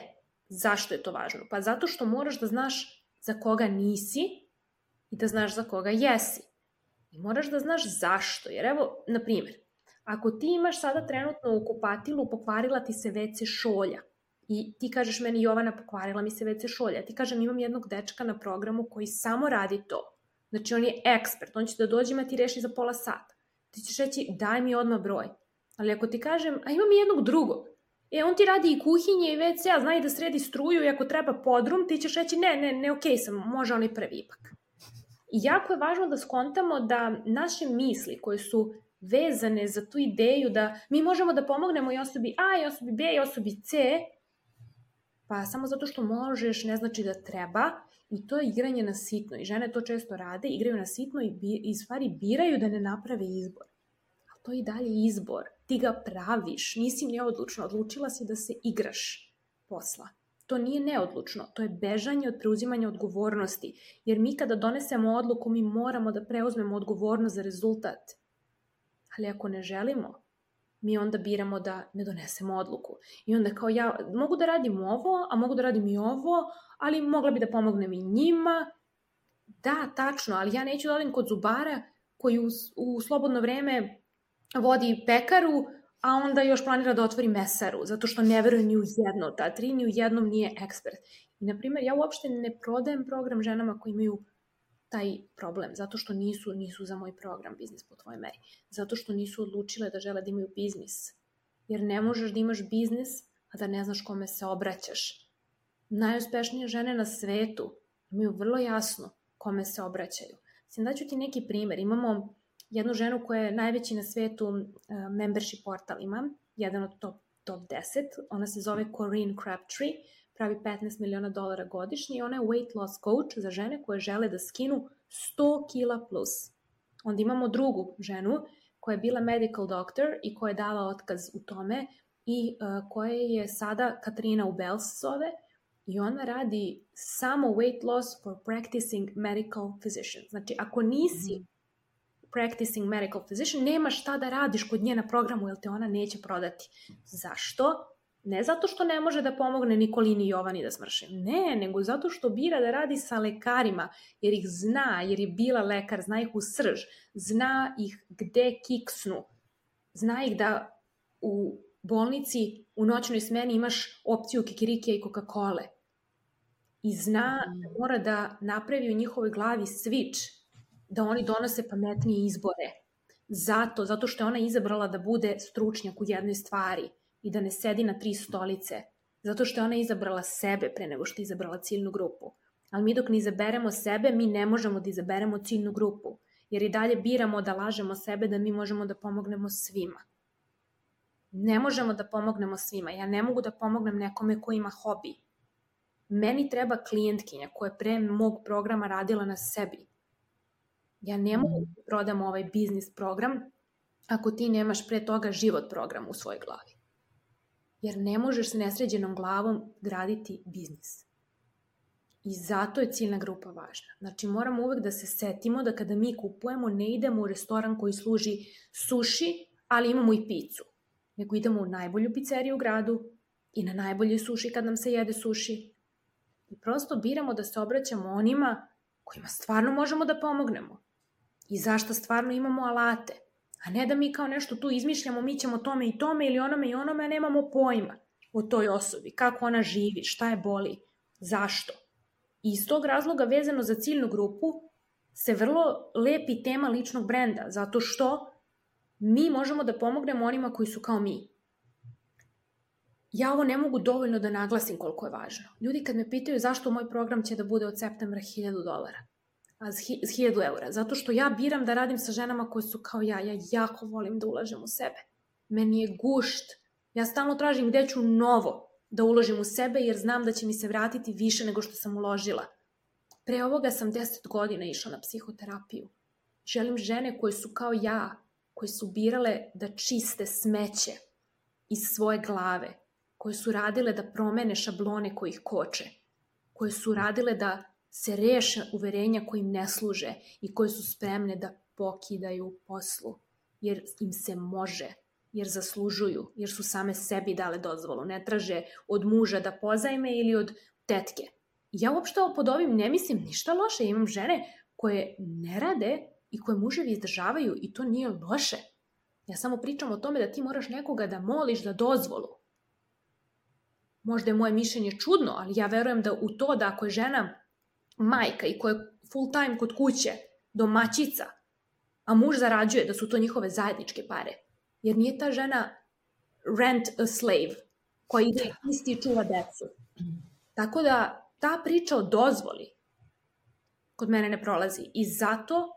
zašto je to važno? Pa zato što moraš da znaš za koga nisi i da znaš za koga jesi. I moraš da znaš zašto. Jer evo, na primjer, ako ti imaš sada trenutno u kupatilu pokvarila ti se ve ce šolja i ti kažeš meni Jovana pokvarila mi se ve ce šolja, ti kažem imam jednog dečka na programu koji samo radi to. Znači on je ekspert, on će da dođe ima ti reši za pola sata. Ti ćeš reći daj mi odmah broj. Ali ako ti kažem, a imam i jednog drugog, e on ti radi i kuhinje i ve ce, a zna i da sredi struju i ako treba podrum, ti ćeš reći ne, ne, ne, okej sam, može on i prvi ipak. I jako je važno da skontamo da naše misli koje su vezane za tu ideju da mi možemo da pomognemo i osobi A, i osobi B, i osobi C, pa samo zato što možeš ne znači da treba i to je igranje na sitno. I žene to često rade, igraju na sitno i, bi, i stvari biraju da ne naprave izbor. Ali to je i dalje izbor. Ti ga praviš, nisi neodlučna, odlučila si da se igraš posla. To nije neodlučno, to je bežanje od preuzimanja odgovornosti. Jer mi kada donesemo odluku, mi moramo da preuzmemo odgovornost za rezultat. Ali ako ne želimo, mi onda biramo da ne donesemo odluku. I onda kao ja mogu da radim ovo, a mogu da radim i ovo, ali mogla bi da pomognem i njima. Da, tačno, ali ja neću da odim kod zubara koji u, u slobodno vreme vodi pekaru, a onda još planira da otvori mesaru, zato što ne veruje ni u jedno od ta tri, ni u jednom nije ekspert. I, na primjer, ja uopšte ne prodajem program ženama koji imaju taj problem, zato što nisu, nisu za moj program biznis po tvojoj meri. Zato što nisu odlučile da žele da imaju biznis. Jer ne možeš da imaš biznis, a da ne znaš kome se obraćaš. Najuspešnije žene na svetu imaju vrlo jasno kome se obraćaju. Sam daću ti neki primer. Imamo jednu ženu koja je najveći na svetu uh, membership portal ima, jedan od top, top deset. Ona se zove Corinne Crabtree, pravi petnaest miliona dolara godišnje i ona je weight loss coach za žene koje žele da skinu sto kila plus. Onda imamo drugu ženu koja je bila medical doctor i koja je dala otkaz u tome i uh, koja je sada Katarina Ubels zove i ona radi samo weight loss for practicing medical physician. Znači, ako nisi mm. practicing medical physician, nema šta da radiš kod nje na programu jer te ona neće prodati. Zašto? Ne zato što ne može da pomogne Nikolini i Jovani da smrše. Ne, nego zato što bira da radi sa lekarima, jer ih zna, jer je bila lekar, zna ih u srž, zna ih gde kiksnu, zna ih da u bolnici u noćnoj smeni imaš opciju kikirikija i Coca-Cole. I zna da mora da napravi u njihovoj glavi switch, da oni donose pametnije izbore. Zato, zato što je ona izabrala da bude stručnjak u jednoj stvari i da ne sedi na tri stolice. Zato što je ona izabrala sebe pre nego što je izabrala ciljnu grupu. Ali mi dok ne izaberemo sebe, mi ne možemo da izaberemo ciljnu grupu. Jer i dalje biramo da lažemo sebe da mi možemo da pomognemo svima. Ne možemo da pomognemo svima. Ja ne mogu da pomognem nekome ko ima hobi. Meni treba klijentkinja koja je pre mog programa radila na sebi. Ja ne mogu da prodam ovaj biznis program ako ti nemaš pre toga život program u svojoj glavi. Jer ne možeš se nesređenom glavom graditi biznis. I zato je ciljna grupa važna. Znači moramo uvek da se setimo da kada mi kupujemo ne idemo u restoran koji služi suši, ali imamo i picu. Nego idemo u najbolju pizzeriju u gradu i na najbolji suši kad nam se jede suši. I prosto biramo da se obraćamo onima kojima stvarno možemo da pomognemo. I zašto stvarno imamo alate. A ne da mi kao nešto tu izmišljamo, mi ćemo tome i tome ili onome i onome, a nemamo pojma o toj osobi. Kako ona živi, šta je boli, zašto. I iz tog razloga vezano za ciljnu grupu se vrlo lepi tema ličnog brenda, zato što mi možemo da pomognemo onima koji su kao mi. Ja ovo ne mogu dovoljno da naglasim koliko je važno. Ljudi kad me pitaju zašto moj program će da bude od septembra hiljadu dolara, a hiljadu eura, zato što ja biram da radim sa ženama koje su kao ja. Ja jako volim da ulažem u sebe. Meni je gušt. Ja stalno tražim gde ću novo da uložim u sebe jer znam da će mi se vratiti više nego što sam uložila. Pre ovoga sam deset godina išla na psihoterapiju. Želim žene koje su kao ja, koje su birale da čiste smeće iz svoje glave, koje su radile da promene šablone koji ih koče, koje su radile da se reše uverenja koji im ne služe i koje su spremne da pokidaju poslu, jer im se može, jer zaslužuju, jer su same sebi dale dozvolu, ne traže od muža da pozajme ili od tetke. Ja uopšte pod ovim ne mislim ništa loše, imam žene koje ne rade i koje muževi izdržavaju i to nije loše. Ja samo pričam o tome da ti moraš nekoga da moliš za dozvolu. Možda je moje mišljenje čudno, ali ja verujem da u to da ako je žena majka i koja je full time kod kuće, domaćica, a muž zarađuje, da su to njihove zajedničke pare. Jer nije ta žena rent a slave, koja ide isti i čuva decu. Tako da ta priča o dozvoli kod mene ne prolazi. I zato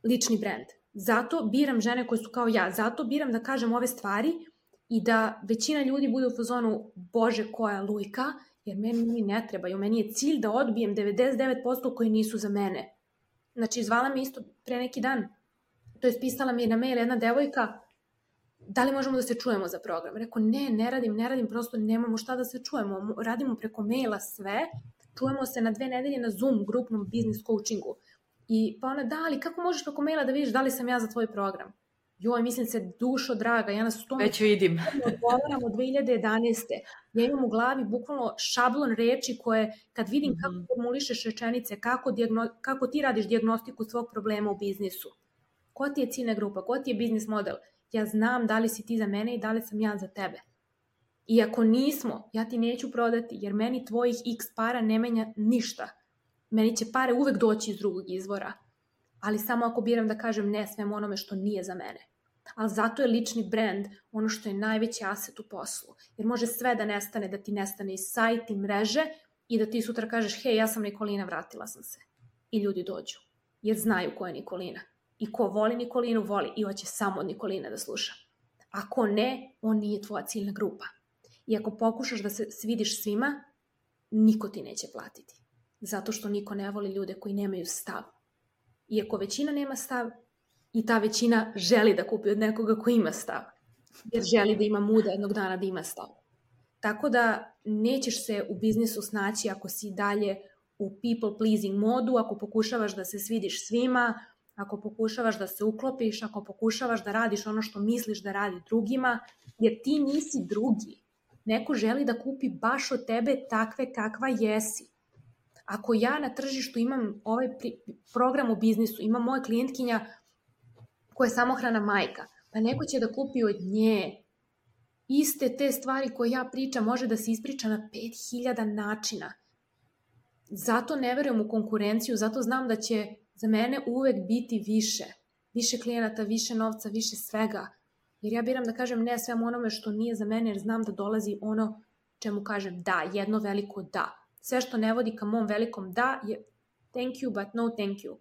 lični brend. Zato biram žene koje su kao ja. Zato biram da kažem ove stvari i da većina ljudi bude u fazonu Bože koja lujka, jer meni mi ne trebaju. Meni je cilj da odbijem devedeset devet posto koji nisu za mene. Znači, zvala me isto pre neki dan, to je pisala mi je na mail jedna devojka, da li možemo da se čujemo za program? Rekao, ne, ne radim, ne radim, prosto nemamo šta da se čujemo. Radimo preko maila sve, čujemo se na dve nedelje na Zoom grupnom business coachingu. I pa ona, da, ali kako možeš preko maila da vidiš da li sam ja za tvoj program? Joj, mislim se, dušo draga, ja nas u tome već vidim. odgovaram od dve hiljade jedanaeste. Ja imam u glavi bukvalno šablon reči koje, kad vidim mm-hmm. kako formulišeš rečenice, kako, diagno, kako ti radiš dijagnostiku svog problema u biznisu, ko ti je ciljna grupa, ko ti je biznis model, ja znam da li si ti za mene i da li sam ja za tebe. I ako nismo, ja ti neću prodati, jer meni tvojih x para ne menja ništa. Meni će pare uvek doći iz drugog izvora. Ali samo ako biram da kažem ne svemu onome što nije za mene. Ali zato je lični brand ono što je najveći aset u poslu. Jer može sve da nestane, da ti nestane i sajt i mreže i da ti sutra kažeš hej, ja sam Nikolina, vratila sam se. I ljudi dođu. Jer znaju ko je Nikolina. I ko voli Nikolinu, voli i hoće samo od Nikoline da sluša. Ako ne, on nije tvoja ciljna grupa. I ako pokušaš da se svidiš svima, niko ti neće platiti. Zato što niko ne voli ljude koji nemaju stav. Iako većina nema stav, i ta većina želi da kupi od nekoga ko ima stav. Jer želi da ima muda jednog dana da ima stav. Tako da nećeš se u biznisu snaći ako si dalje u people pleasing modu, ako pokušavaš da se svidiš svima, ako pokušavaš da se uklopiš, ako pokušavaš da radiš ono što misliš da radi drugima, jer ti nisi drugi. Neko želi da kupi baš od tebe takve kakva jesi. Ako ja na tržištu imam ovaj program u biznisu, imam moja klijentkinja koja je samohrana majka, pa neko će da kupi od nje. Iste te stvari koje ja pričam može da se ispriča na pet hiljada načina. Zato ne verujem u konkurenciju, zato znam da će za mene uvek biti više. Više klijenata, više novca, više svega. Jer ja biram da kažem ne svemu onome što nije za mene, jer znam da dolazi ono čemu kažem da, jedno veliko da. Sve što ne vodi ka mom velikom da je thank you but no thank you.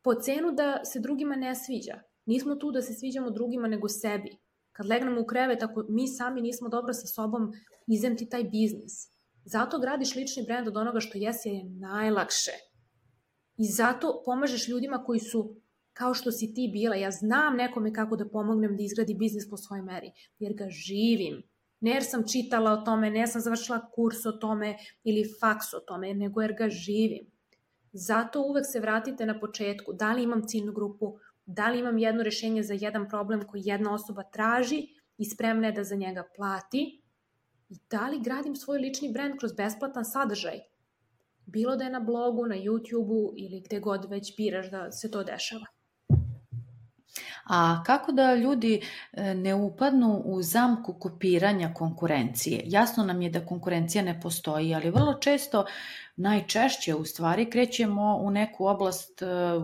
Po cenu da se drugima ne sviđa. Nismo tu da se sviđamo drugima nego sebi. Kad legnemo u krevet, ako mi sami nismo dobro sa sobom, izem ti taj biznis. Zato gradiš lični brend od onoga što jesi, jer je najlakše. I zato pomažeš ljudima koji su kao što si ti bila. Ja znam nekome kako da pomognem da izgradi biznis po svojoj meri, jer ga živim. Ne jer sam čitala o tome, ne jer sam završila kurs o tome ili faks o tome, nego jer ga živim. Zato uvek se vratite na početku. Da li imam ciljnu grupu, da li imam jedno rešenje za jedan problem koji jedna osoba traži i spremna je da za njega plati, i da li gradim svoj lični brend kroz besplatan sadržaj. Bilo da je na blogu, na YouTube-u ili gde god već biraš da se to dešava. A kako da ljudi ne upadnu u zamku kopiranja konkurencije? Jasno nam je da konkurencija ne postoji, ali vrlo često, najčešće u stvari, krećemo u neku oblast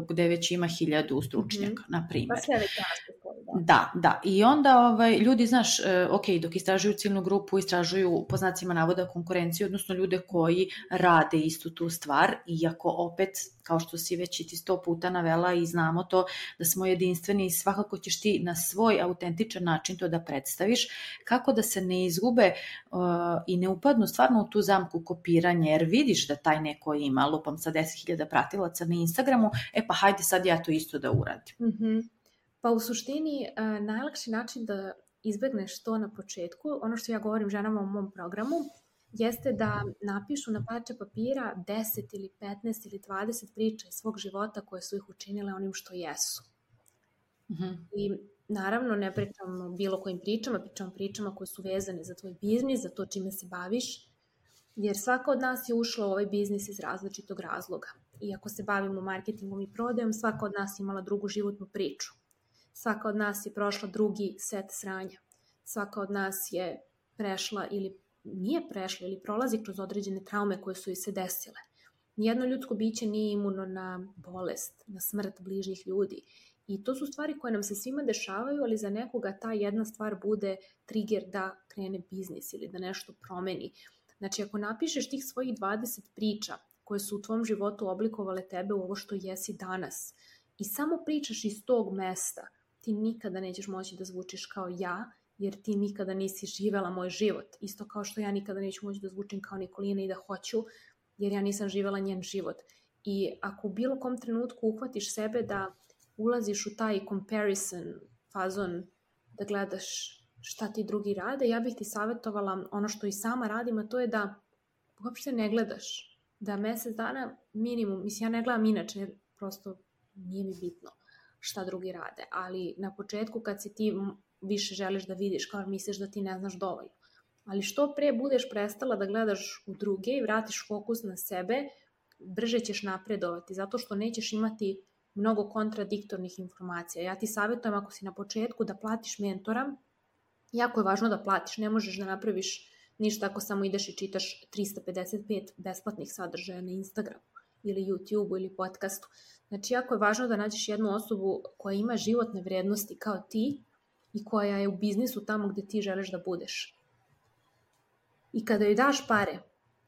gde već ima hiljadu stručnjaka, mm-hmm. na primjer. Pa sve već jasno. Da, da. I onda ovaj, ljudi, znaš, ok, dok istražuju ciljnu grupu, istražuju po znacima navoda konkurenciju, odnosno ljude koji rade istu tu stvar, iako opet, kao što si već i ti sto puta navela i znamo to, da smo jedinstveni i svakako ćeš ti na svoj autentičan način to da predstaviš, kako da se ne izgube uh, i ne upadnu stvarno u tu zamku kopiranja, jer vidiš da taj neko ima, lupam sa deset hiljada pratilaca na Instagramu, e pa hajde sad ja to isto da uradim. Mhm. Pa u suštini, uh, najlakši način da izbegneš to na početku, ono što ja govorim ženama u mom programu, jeste da napišu na parče papira deset ili petnaest ili dvadeset priča iz svog života koje su ih učinile onim što jesu. Mm-hmm. I naravno ne pričam o bilo kojim pričama, pričam o pričama koje su vezane za tvoj biznis, za to čime se baviš, jer svaka od nas je ušla u ovaj biznis iz različitog razloga. I ako se bavimo marketingom i prodajom, svaka od nas imala drugu životnu priču. Svaka od nas je prošla drugi set sranja. Svaka od nas je prešla ili nije prešla ili prolazi kroz određene traume koje su joj se desile. Nijedno ljudsko biće nije imuno na bolest, na smrt bližnjih ljudi. I to su stvari koje nam se svima dešavaju, ali za nekoga ta jedna stvar bude trigger da krene biznis ili da nešto promeni. Znači, ako napišeš tih svojih dvadeset priča koje su u tvom životu oblikovale tebe u ovo što jesi danas i samo pričaš iz tog mesta, ti nikada nećeš moći da zvučiš kao ja, jer ti nikada nisi živela moj život. Isto kao što ja nikada neću moći da zvučim kao Nikolina i da hoću, jer ja nisam živela njen život. I ako u bilo kom trenutku uhvatiš sebe da ulaziš u taj comparison fazon, da gledaš šta ti drugi rade, ja bih ti savjetovala ono što i sama radim, a to je da uopšte ne gledaš. Da mesec dana minimum, mislim ja ne gledam inače, jer prosto nije mi bitno šta drugi rade, ali na početku kad si ti više želiš da vidiš, kao misliš da ti ne znaš dovoljno. Ali što pre budeš prestala da gledaš u druge i vratiš fokus na sebe, brže ćeš napredovati, zato što nećeš imati mnogo kontradiktornih informacija. Ja ti savjetujem ako si na početku da platiš mentora, jako je važno da platiš, ne možeš da napraviš ništa ako samo ideš i čitaš trista pedeset pet besplatnih sadržaja na Instagramu ili YouTubeu ili podcastu. Znači, jako je važno da nađeš jednu osobu koja ima životne vrednosti kao ti i koja je u biznisu tamo gde ti želiš da budeš. I kada joj daš pare,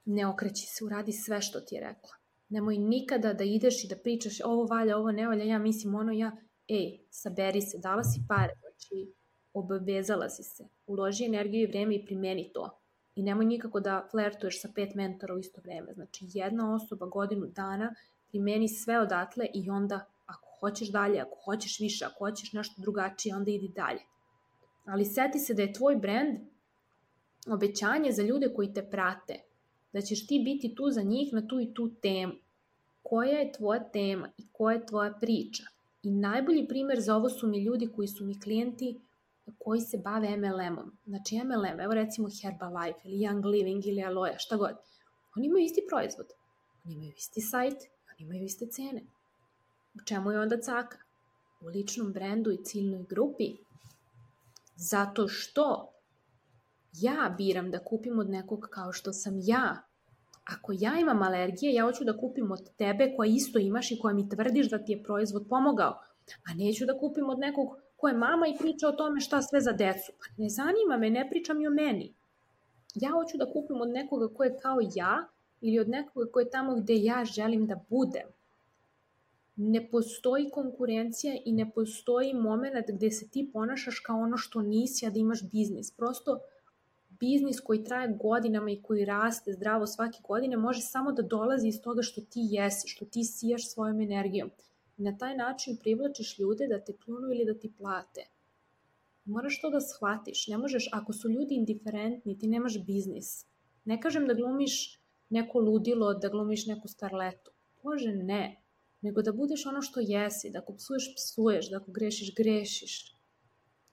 ne okreći se, uradi sve što ti je rekla. Nemoj nikada da ideš i da pričaš ovo valja, ovo ne valja, ja mislim ono, ja, ej, saberi se, dala si pare, znači obavezala si se, uloži energiju i vreme i primeni to. I nemoj nikako da flertuješ sa pet mentora u isto vreme. Znači, jedna osoba godinu dana primeni sve odatle i onda ako hoćeš dalje, ako hoćeš više, ako hoćeš nešto drugačije, onda idi dalje. Ali seti se da je tvoj brend obećanje za ljude koji te prate, da ćeš ti biti tu za njih na tu i tu temu. Koja je tvoja tema i koja je tvoja priča? I najbolji primer za ovo su mi ljudi koji su mi klijenti koji se bave em el em-om. Znači em el em, evo recimo Herbalife ili Young Living ili Aloe, šta god. Oni imaju isti proizvod, oni imaju isti sajt, oni imaju iste cene. U čemu je onda caka? U ličnom brendu i ciljnoj grupi. Zato što ja biram da kupim od nekog kao što sam ja. Ako ja imam alergije, ja hoću da kupim od tebe koja isto imaš i koja mi tvrdiš da ti je proizvod pomogao. A neću da kupim od nekog ko je mama i priča o tome šta sve za decu. Pa ne zanima me, ne pričam i o meni. Ja hoću da kupim od nekoga ko je kao ja ili od nekoga ko je tamo gde ja želim da budem. Ne postoji konkurencija i ne postoji moment gde se ti ponašaš kao ono što nisi, a da imaš biznis. Prosto biznis koji traje godinama i koji raste zdravo svake godine može samo da dolazi iz toga što ti jesi, što ti sijaš svojom energijom. I na taj način privlačiš ljude da te pljunu ili da ti plate. Moraš to da shvatiš. Ne možeš, ako su ljudi indiferentni, ti nemaš biznis. Ne kažem da glumiš neko ludilo, da glumiš neku starletu. Bože, ne. Nego da budeš ono što jesi, da ako psuješ, psuješ, da ako grešiš, grešiš.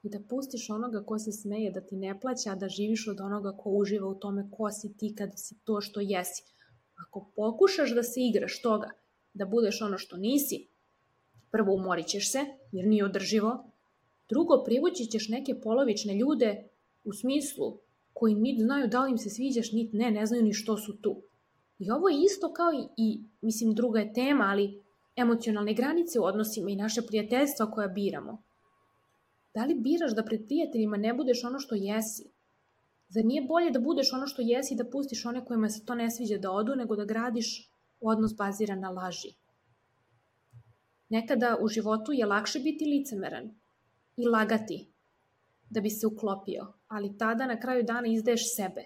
I da pustiš onoga ko se smeje, da ti ne plaća, da živiš od onoga ko uživa u tome ko si ti kad si to što jesi. Ako pokušaš da se igraš toga, da budeš ono što nisi, prvo umorit ćeš se, jer nije održivo. Drugo, privući ćeš neke polovične ljude u smislu koji niti znaju da li im se sviđaš, niti ne, ne znaju ni što su tu. I ovo je isto kao i, i mislim, druga je tema, ali emocionalne granice u odnosima i naše prijateljstva koja biramo. Da li biraš da pred prijateljima ne budeš ono što jesi? Zar nije bolje da budeš ono što jesi i da pustiš one kojima se to ne sviđa da odu, nego da gradiš odnos baziran na laži? Nekada u životu je lakše biti licemeran i lagati da bi se uklopio, ali tada na kraju dana izdaješ sebe.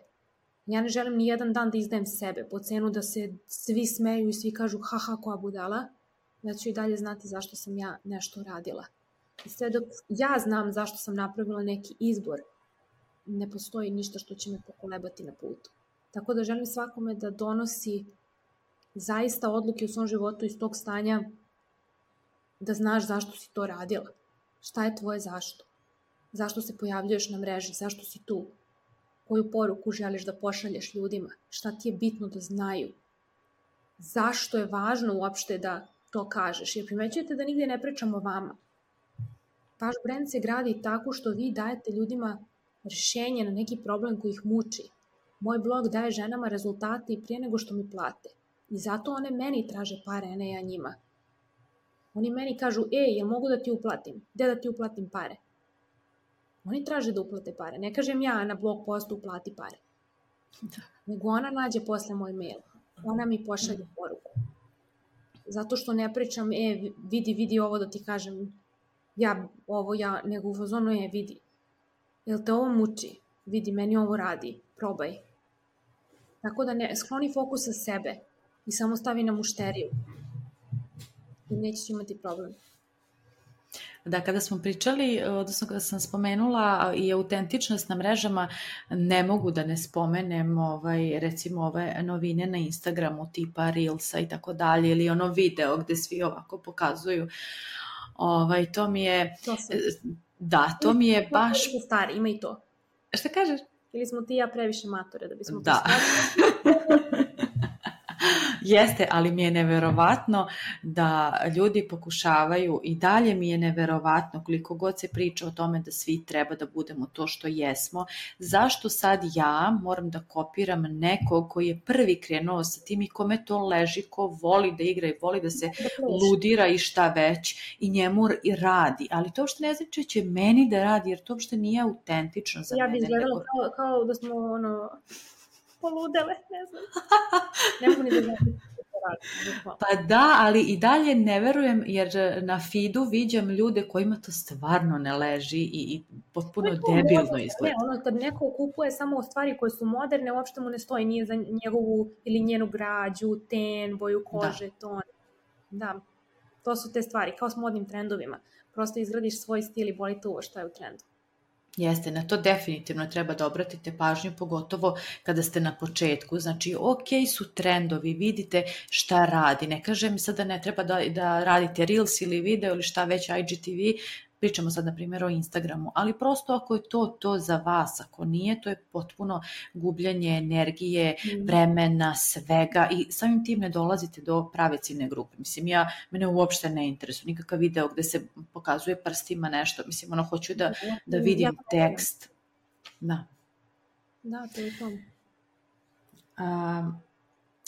Ja ne želim ni jedan dan da izdajem sebe, po cenu da se svi smeju i svi kažu haha koja budala, ja ću i dalje znati zašto sam ja nešto radila. I sve dok ja znam zašto sam napravila neki izbor, ne postoji ništa što će me pokolebati na putu. Tako da želim svakome da donosi zaista odluke u svom životu iz tog stanja da znaš zašto si to radila. Šta je tvoje zašto? Zašto se pojavljuješ na mreži? Zašto si tu? Koju poruku želiš da pošalješ ljudima? Šta ti je bitno da znaju? Zašto je važno uopšte da to kažeš? Jer primećujete da nigde ne pričamo o vama. Vaš brand se gradi tako što vi dajete ljudima rješenje na neki problem koji ih muči. Moj blog daje ženama rezultate i prije nego što mi plate. I zato one meni traže pare, a ne ja njima. Oni meni kažu, ej, jel mogu da ti uplatim? Gde da ti uplatim pare? Oni traže da uplate pare. Ne kažem ja na blog postu uplati pare. Nego ona nađe posle moj mail. Ona mi pošalje poruku. Zato što ne pričam, e, vidi, vidi ovo da ti kažem, ja, ovo ja, nego u fazonu je, vidi. Jel te ovo muči? Vidi, meni ovo radi. Probaj. Tako da ne, skloni fokus sa sebe i samo stavi na mušteriju. I nećeš imati problem. Da, kada smo pričali, odnosno kada sam spomenula i autentičnost na mrežama, ne mogu da ne spomenem ovaj, recimo ove novine na Instagramu tipa Reelsa i tako dalje, ili ono video gde svi ovako pokazuju. Ovaj, to mi je... To sam. Da, to mi je baš... Stari, ima i to. Šta kažeš? Ili smo ti i ja previše matore da bismo... Da. Jeste, ali mi je neverovatno da ljudi pokušavaju i dalje mi je neverovatno koliko god se priča o tome da svi treba da budemo to što jesmo. Zašto sad ja moram da kopiram nekog koji je prvi krenuo sa tim i kome to leži, ko voli da igra i voli da se ludira i šta već i njemu i radi. Ali to uopšte ne znači će meni da radi jer to uopšte nije autentično za ja mene. Ja bih izgledala kao, kao da smo ono... poludele, ne znam. Ne mogu ni da znam. Pa da, ali i dalje ne verujem jer na feedu viđam ljude kojima to stvarno ne leži i, i potpuno debilno izgleda. Ne, ono kad neko kupuje samo stvari koje su moderne, uopšte mu ne stoji, nije za njegovu ili njenu građu, ten, boju kože, da. Ton. Da, to su te stvari, kao s modnim trendovima. Prosto izgradiš svoj stil i boli te uvo što je u trendu. Jeste, na to definitivno treba da obratite pažnju, pogotovo kada ste na početku. Znači, ok su trendovi, vidite šta radi. Ne kažem sada ne treba da, da radite Reels ili video ili šta već I G T V, pričamo sad na primjer o Instagramu, ali prosto ako je to to za vas, ako nije, to je potpuno gubljenje energije, vremena, svega i samim tim ne dolazite do prave ciljne grupe. Mislim, ja, mene uopšte ne interesuje nikakav video gde se pokazuje prstima nešto, mislim, ono, hoću da, da vidim tekst. Da. Da, to je to. A,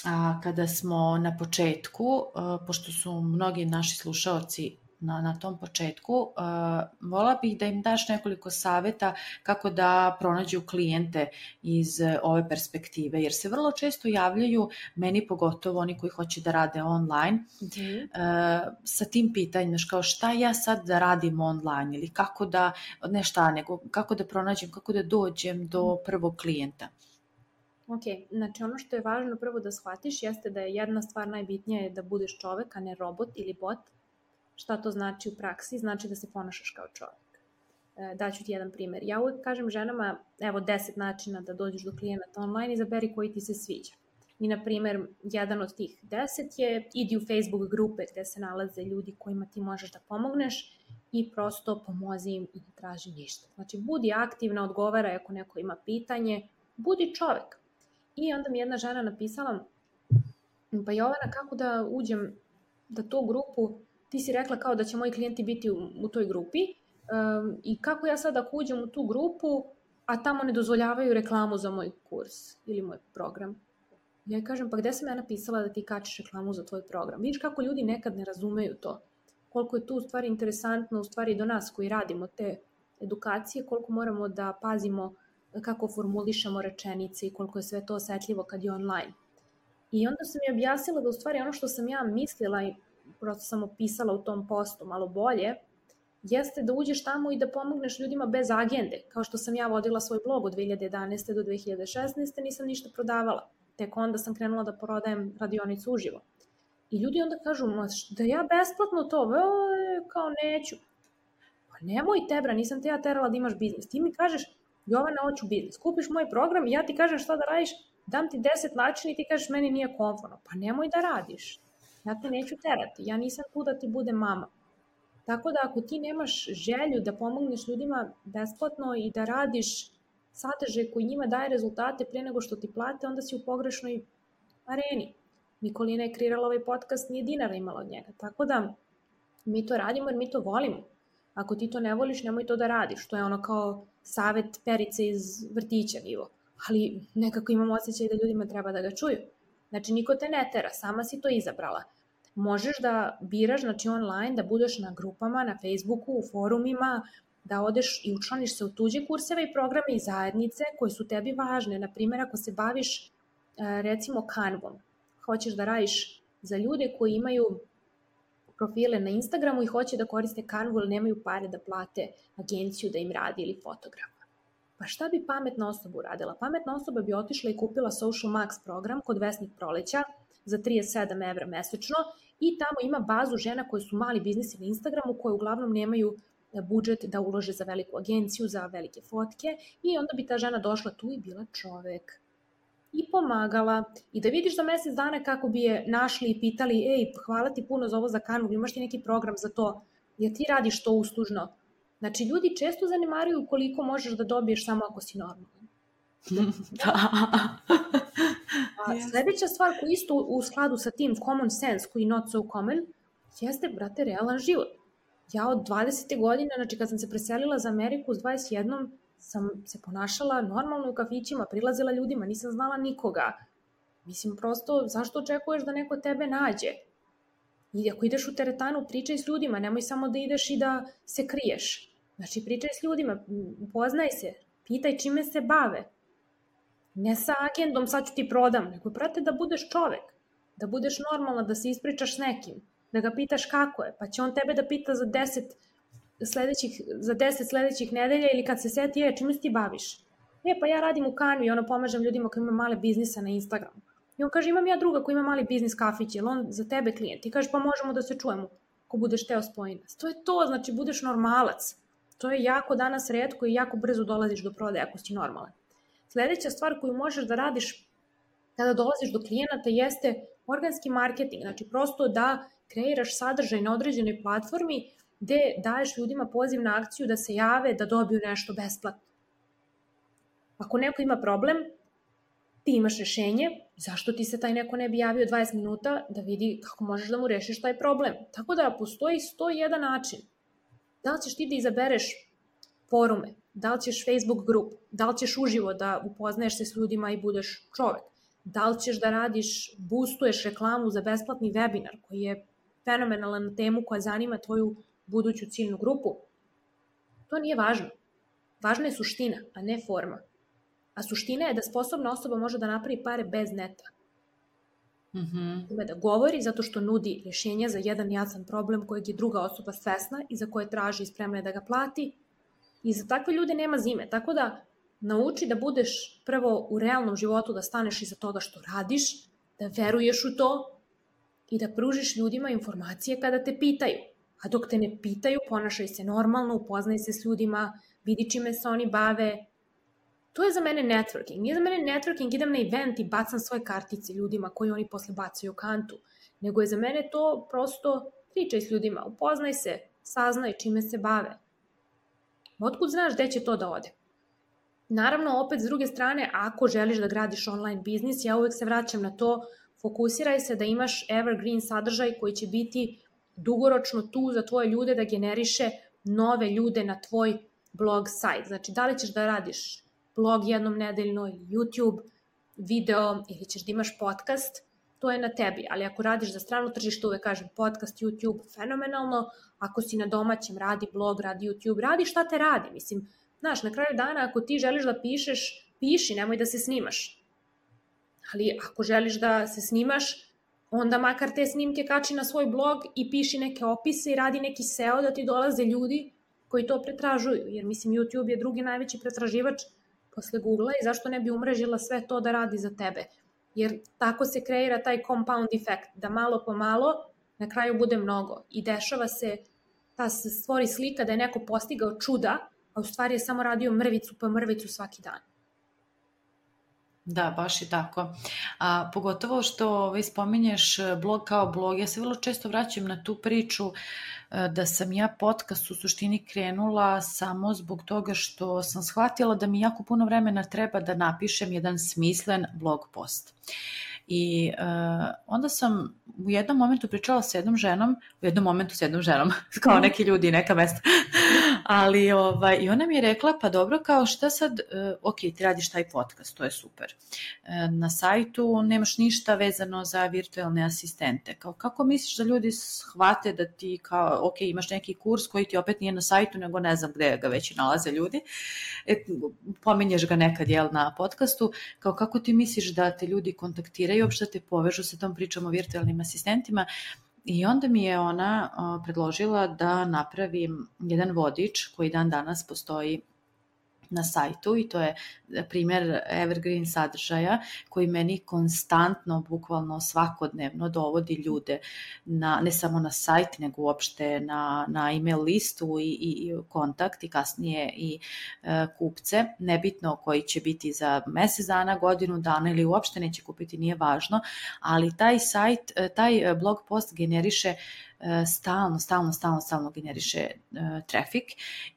a kada smo na početku, a, pošto su mnogi naši slušaoci na, na tom početku. Uh, vola bih da im daš nekoliko savjeta kako da pronađu klijente iz uh, ove perspektive, jer se vrlo često javljaju, meni pogotovo oni koji hoće da rade online, mm-hmm. uh, sa tim pitanjem, kao šta ja sad da radim online ili kako da, ne šta, nego kako da pronađem, kako da dođem do prvog klijenta. Ok, znači ono što je važno prvo da shvatiš jeste da je jedna stvar najbitnija je da budeš čovek, a ne robot ili bot. Šta to znači u praksi? Znači da se ponašaš kao čovek. E, daću ti jedan primjer. Ja uvek kažem ženama, evo deset načina da dođeš do klijenata online, izaberi koji ti se sviđa. I na primjer, jedan od tih deset je idi u Facebook grupe gde se nalaze ljudi kojima ti možeš da pomogneš i prosto pomozi im i ne traži ništa. Znači budi aktivna, odgovaraj ako neko ima pitanje, budi čovek. I onda mi jedna žena napisala, pa Jovana, kako da uđem da tu grupu, ti si rekla kao da će moji klijenti biti u, u toj grupi um, i kako ja sad ako uđem u tu grupu, a tamo ne dozvoljavaju reklamu za moj kurs ili moj program. Ja kažem, pa gde sam ja napisala da ti kačiš reklamu za tvoj program? Vidiš kako ljudi nekad ne razumeju to. Koliko je tu u stvari interesantno, u stvari do nas koji radimo te edukacije, koliko moramo da pazimo kako formulišemo rečenice i koliko je sve to osetljivo kad je online. I onda sam mi objasnila da u stvari ono što sam ja mislila i prosto sam opisala u tom postu malo bolje, jeste da uđeš tamo i da pomogneš ljudima bez agende. Kao što sam ja vodila svoj blog od dve hiljade jedanaeste do dve hiljade šesnaeste, nisam ništa prodavala. Tek onda sam krenula da prodajem radionicu uživo. I ljudi onda kažu, da ja besplatno to, e, kao neću. Pa nemoj tebra, nisam te ja terala da imaš biznis. Ti mi kažeš, Jovana, hoću biznis, kupiš moj program i ja ti kažem šta da radiš, dam ti deset načina i ti kažeš meni nije komfortno. Pa nemoj da radiš. Ja te neću terati, ja nisam tu da ti bude mama. Tako da ako ti nemaš želju da pomogneš ljudima besplatno i da radiš sadržaj koji njima daje rezultate prije nego što ti plate, onda si u pogrešnoj areni. Nikolina je kreirala ovaj podcast, nije dinara imala od njega. Tako da mi to radimo jer mi to volimo. Ako ti to ne voliš, nemoj to da radiš. To je ono kao savet Perice iz vrtića nivo. Ali nekako imam osjećaj da ljudima treba da ga čuju. Znači, niko te ne tera, sama si to izabrala. Možeš da biraš, znači online, da budeš na grupama, na Facebooku, u forumima, da odeš i učlaniš se u tuđe kurseve i programe i zajednice koje su tebi važne. Naprimjer, ako se baviš recimo Canvom, hoćeš da radiš za ljude koji imaju profile na Instagramu i hoće da koriste Canvu, ali nemaju pare da plate agenciju da im radi ili fotografa. Pa šta bi pametna osoba uradila? Pametna osoba bi otišla i kupila Social Max program kod Vesnik Proleća za trideset sedam evra mesečno i tamo ima bazu žena koje su mali biznisi na Instagramu koje uglavnom nemaju budžet da ulože za veliku agenciju, za velike fotke i onda bi ta žena došla tu i bila čovek i pomagala i da vidiš za mesec dana kako bi je našli i pitali ej, hvala ti puno za ovo za Canvu, imaš ti neki program za to, jer ti radiš to uslužno. Znači, ljudi često zanemaruju koliko možeš da dobiješ samo ako si normalan. Da. A sledeća stvar koja isto u skladu sa tim common sense, koji not so common, jeste, brate, realan život. Ja od dvadesete godine, znači kad sam se preselila za Ameriku s dvadeset jednom, sam se ponašala normalno u kafićima, prilazila ljudima, nisam znala nikoga. Mislim, prosto, zašto očekuješ da neko tebe nađe? I ako ideš u teretanu, pričaj s ljudima, nemoj samo da ideš i da se kriješ. Znači, pričaj s ljudima, upoznaj se, pitaj čime se bave. Ne sa agendom, sad ću ti prodam, nego prate da budeš čovek, da budeš normalna, da se ispričaš s nekim, da ga pitaš kako je, pa će on tebe da pita za deset sledećih, za deset sledećih nedelja ili kad se seti, je, čime se ti baviš? E, pa ja radim u Canvi i ono pomažem ljudima koji imaju male biznise na Instagramu. I on kaže, imam ja druga koji ima mali biznis kafić, je li on za tebe klijent? I kaže, pa možemo da se čujemo, ako budeš teo spoji nas. To je to, znači budeš normalac. To je jako danas retko i jako brzo dolaziš do prodaje ako si normalan. Sledeća stvar koju možeš da radiš kada dolaziš do klijenata jeste organski marketing, znači prosto da kreiraš sadržaj na određenoj platformi gde daješ ljudima poziv na akciju da se jave, da dobiju nešto besplatno. Ako neko ima problem, ti imaš rešenje, zašto ti se taj neko ne bi javio dvadeset minuta da vidi kako možeš da mu rešiš taj problem. Tako da postoji sto jedan način. Da li ćeš ti da izabereš forume, da li ćeš Facebook grup, da li ćeš uživo da upoznaješ se s ljudima i budeš čovek, da li ćeš da radiš, boostuješ reklamu za besplatni webinar koji je fenomenalan na temu koja zanima tvoju buduću ciljnu grupu, to nije važno. Važna je suština, a ne forma. A suština je da sposobna osoba može da napravi pare bez neta. Mm-hmm. Da govori zato što nudi rješenja za jedan jasan problem kojeg je druga osoba svesna i za koje traži i spremna je da ga plati. I za takve ljude nema zime. Tako da nauči da budeš prvo u realnom životu, da staneš iza toga što radiš, da veruješ u to i da pružiš ljudima informacije kada te pitaju. A dok te ne pitaju, ponašaj se normalno, upoznaj se s ljudima, vidi čime se oni bave. To je za mene networking. Nije za mene networking, idem na event i bacam svoje kartice ljudima koji oni posle bacaju u kantu. Nego je za mene to prosto pričaj s ljudima, upoznaj se, saznaj čime se bave. Otkud znaš gde će to da ode? Naravno, opet s druge strane, ako želiš da gradiš online biznis, ja uvek se vraćam na to, fokusiraj se da imaš evergreen sadržaj koji će biti dugoročno tu za tvoje ljude da generiše nove ljude na tvoj blog sajt. Znači, da li ćeš da radiš blog jednom nedeljno ili YouTube, video ili ćeš da imaš podcast, to je na tebi. Ali ako radiš za strano tržište, uvek kažem podcast, YouTube, fenomenalno. Ako si na domaćem, radi blog, radi YouTube, radi šta te radi. Mislim, znaš, na kraju dana ako ti želiš da pišeš, piši, nemoj da se snimaš. Ali ako želiš da se snimaš, onda makar te snimke kači na svoj blog i piši neke opise i radi neki S E O da ti dolaze ljudi koji to pretražuju. Jer mislim, YouTube je drugi najveći pretraživač posle Google-a i zašto ne bi umrežila sve to da radi za tebe. Jer tako se kreira taj compound efekt, da malo po malo na kraju bude mnogo. I dešava se, ta se stvori slika da je neko postigao čuda, a u stvari je samo radio mrvicu pa mrvicu svaki dan. Da, baš i tako. A, pogotovo što ovaj, spominješ blog kao blog, ja se vrlo često vraćam na tu priču da sam ja podcast u suštini krenula samo zbog toga što sam shvatila da mi jako puno vremena treba da napišem jedan smislen blog post. I uh, onda sam u jednom momentu pričala sa jednom ženom, u jednom momentu sa jednom ženom, kao neki ljudi, neka mesta, ali ovaj, i ona mi je rekla, pa dobro, kao šta sad, uh, ok, ti radiš taj podcast, to je super. Uh, na sajtu nemaš ništa vezano za virtualne asistente. Kao, kako misliš da ljudi shvate da ti, kao, ok, imaš neki kurs koji ti opet nije na sajtu, nego ne znam gde ga već nalaze ljudi, e, pominješ ga nekad, jel, na podcastu, kao kako ti misliš da te ljudi kontaktiraju i uopšte te povežu sa tom pričom o virtualnim asistentima. I onda mi je ona o, predložila da napravim jedan vodič koji dan danas postoji na sajtu i to je primjer evergreen sadržaja koji meni konstantno, bukvalno svakodnevno dovodi ljude na, ne samo na sajt, nego uopšte na, na email listu i, i, i kontakt i kasnije i e, kupce, nebitno koji će biti za mjesec dana, godinu dana ili uopšte neće kupiti, nije važno, ali taj sajt, taj blog post generiše stalno, stalno, stalno, stalno generiše uh, trafik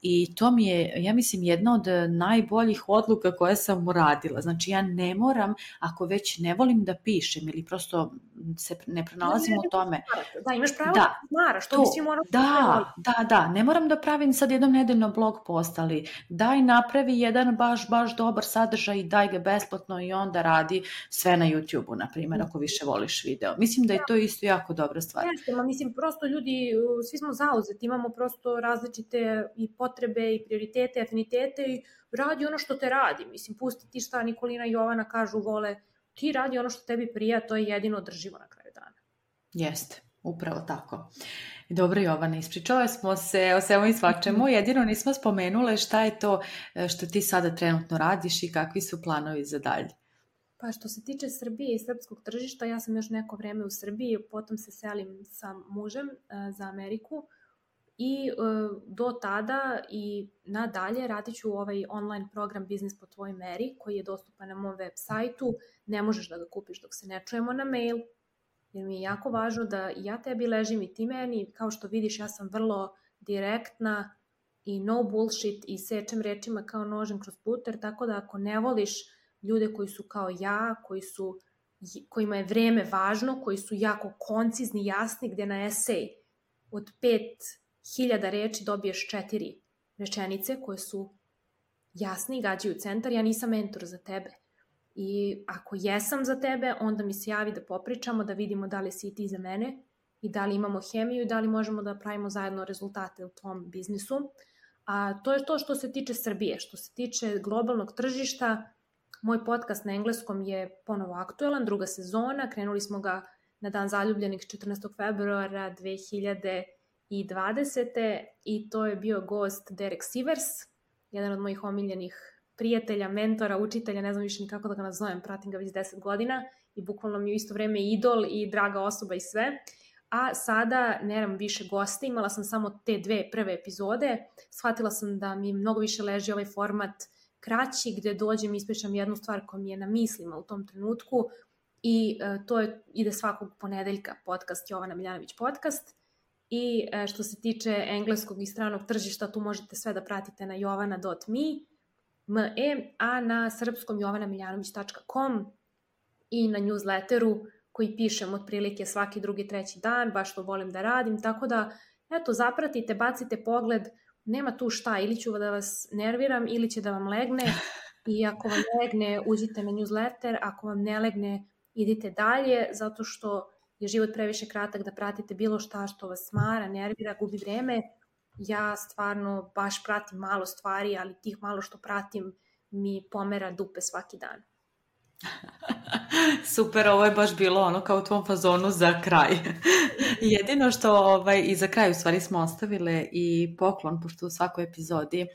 i to mi je, ja mislim, jedna od najboljih odluka koje sam uradila. Znači, ja ne moram, ako već ne volim da pišem ili prosto se ne pronalazim u tome. Da, imaš pravo da smaraš, to, to mislim moram da, da, da, ne moram da pravim sad jednom nedeljno blog post, ali daj napravi jedan baš, baš dobar sadržaj i daj ga besplatno i onda radi sve na YouTube-u, na primjer, ako više voliš video. Mislim da je to isto jako dobra stvar. Jeste, ma mislim, prosto ljudi, svi smo zauzeti, imamo prosto različite i potrebe i prioritete, afinitete i radi ono što te radi. Mislim, pusti ti šta Nikolina i Jovana kažu, vole, ti radi ono što tebi prija, to je jedino održivo na kraju dana. Jeste, upravo tako. Dobro, Jovana, ispričale smo se o svemu i svačemu, jedino nismo spomenule šta je to što ti sada trenutno radiš i kakvi su planovi za dalje. Pa što se tiče Srbije i srpskog tržišta, ja sam još neko vreme u Srbiji, potom se selim sa mužem uh, za Ameriku i uh, do tada i nadalje radit ću ovaj online program Biznis po tvojoj meri koji je dostupan na mom web sajtu. Ne možeš da ga kupiš dok se ne čujemo na mail, jer mi je jako važno da ja tebi ležim i ti meni. Kao što vidiš, ja sam vrlo direktna i no bullshit i sečem rečima kao nožem kroz puter, tako da ako ne voliš ljude koji su kao ja, koji su, kojima je vreme važno, koji su jako koncizni, jasni, gde na esej od pet hiljada reči dobiješ četiri rečenice koje su jasni i gađaju centar, ja nisam mentor za tebe. I ako jesam za tebe, onda mi se javi da popričamo, da vidimo da li si i ti za mene i da li imamo hemiju i da li možemo da pravimo zajedno rezultate u tom biznisu. A to je to što se tiče Srbije. Što se tiče globalnog tržišta, moj podcast na engleskom je ponovo aktuelan, druga sezona, krenuli smo ga na Dan zaljubljenih četrnaestog februara dve hiljade dvadesete. i to je bio gost Derek Sivers, jedan od mojih omiljenih prijatelja, mentora, učitelja, ne znam više ni kako da ga nazovem, pratim ga već deset godina i bukvalno mi je u isto vreme idol i draga osoba i sve. A sada nemam više goste, imala sam samo te dve prve epizode, shvatila sam da mi mnogo više leži ovaj format kraći, gde dođem i ispričam jednu stvar koja mi je na mislima u tom trenutku i uh, to je, ide svakog ponedeljka podcast Jovana Miljanović podcast. I uh, što se tiče engleskog i stranog tržišta, tu možete sve da pratite na jovana dot me, a na srpskom jovana miljanović tačka com i na newsletteru koji pišem otprilike svaki drugi, treći dan, baš to volim da radim, tako da, eto, zapratite, bacite pogled, nema tu šta, ili ću da vas nerviram, ili će da vam legne, i ako vam legne, uđite na newsletter, ako vam ne legne, idite dalje, zato što je život previše kratak da pratite bilo šta što vas smara, nervira, gubi vreme. Ja stvarno baš pratim malo stvari, ali tih malo što pratim mi pomera dupe svaki dan. Super, ovo je baš bilo ono kao u tvom fazonu za kraj. Jedino što ovaj, i za kraj u stvari smo ostavile i poklon, pošto u svakoj epizodi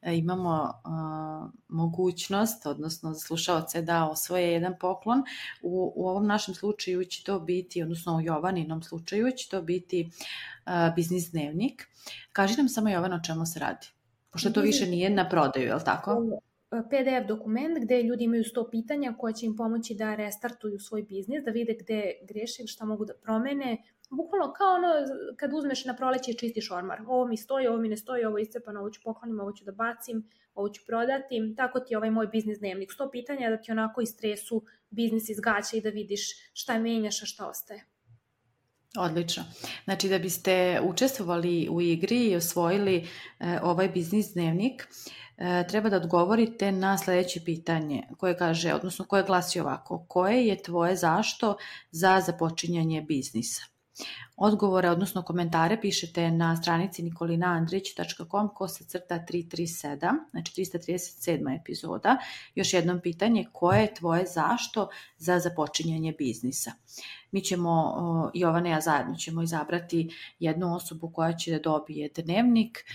e, imamo uh, mogućnost, odnosno za slušaoce da osvoje jedan poklon. U, u ovom našem slučaju će to biti, odnosno u Jovaninom slučaju će to biti uh, biznis dnevnik. Kaži nam samo, Jovana, o čemu se radi, pošto to više nije na prodaju, je li tako? P D F dokument gde ljudi imaju sto pitanja koja će im pomoći da restartuju svoj biznis, da vide gde greše, šta mogu da promene. Bukvalno kao ono kad uzmeš na proleće i čistiš ormar. Ovo mi stoji, ovo mi ne stoji, ovo je iscepano, ovo ću poklonim, ovo ću da bacim, ovo ću prodati. Tako ti je ovaj moj biznis dnevnik. sto pitanja da ti onako istresu biznis iz gaća i da vidiš šta menjaš, a šta ostaje. Odlično. Znači da biste učestvovali u igri i osvojili e, ovaj biznis dnevnik, e, treba da odgovorite na sljedeće pitanje koje kaže, odnosno koje glasi ovako: koje je tvoje zašto za započinjanje biznisa? Odgovore, odnosno komentare pišete na stranici nikolina andrić tačka com kosa crta tristo trideset sedam, znači trista trideset sedma epizoda. Još jednom pitanje: koje je tvoje zašto za započinjanje biznisa? Mi ćemo, Jovana i ja zajedno ćemo izabrati jednu osobu koja će da dobije dnevnik,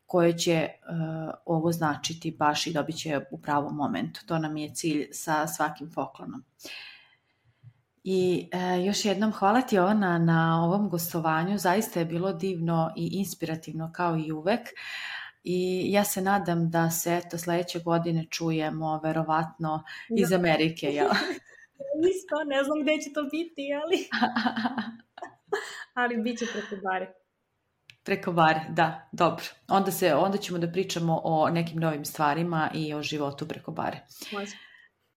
koje će uh, ovo značiti baš i dobit će u pravom momentu. To nam je cilj sa svakim poklonom. I e, još jednom hvala ti, Jovana, na ovom gostovanju. Zaista je bilo divno i inspirativno kao i uvek. I ja se nadam da se eto sledeće godine čujemo verovatno iz Amerike. Ja. Isto, ne znam gde će to biti, ali, ali bit će preko bare. Preko bare, da, dobro. Onda, se, onda ćemo da pričamo o nekim novim stvarima i o životu preko bare. Može.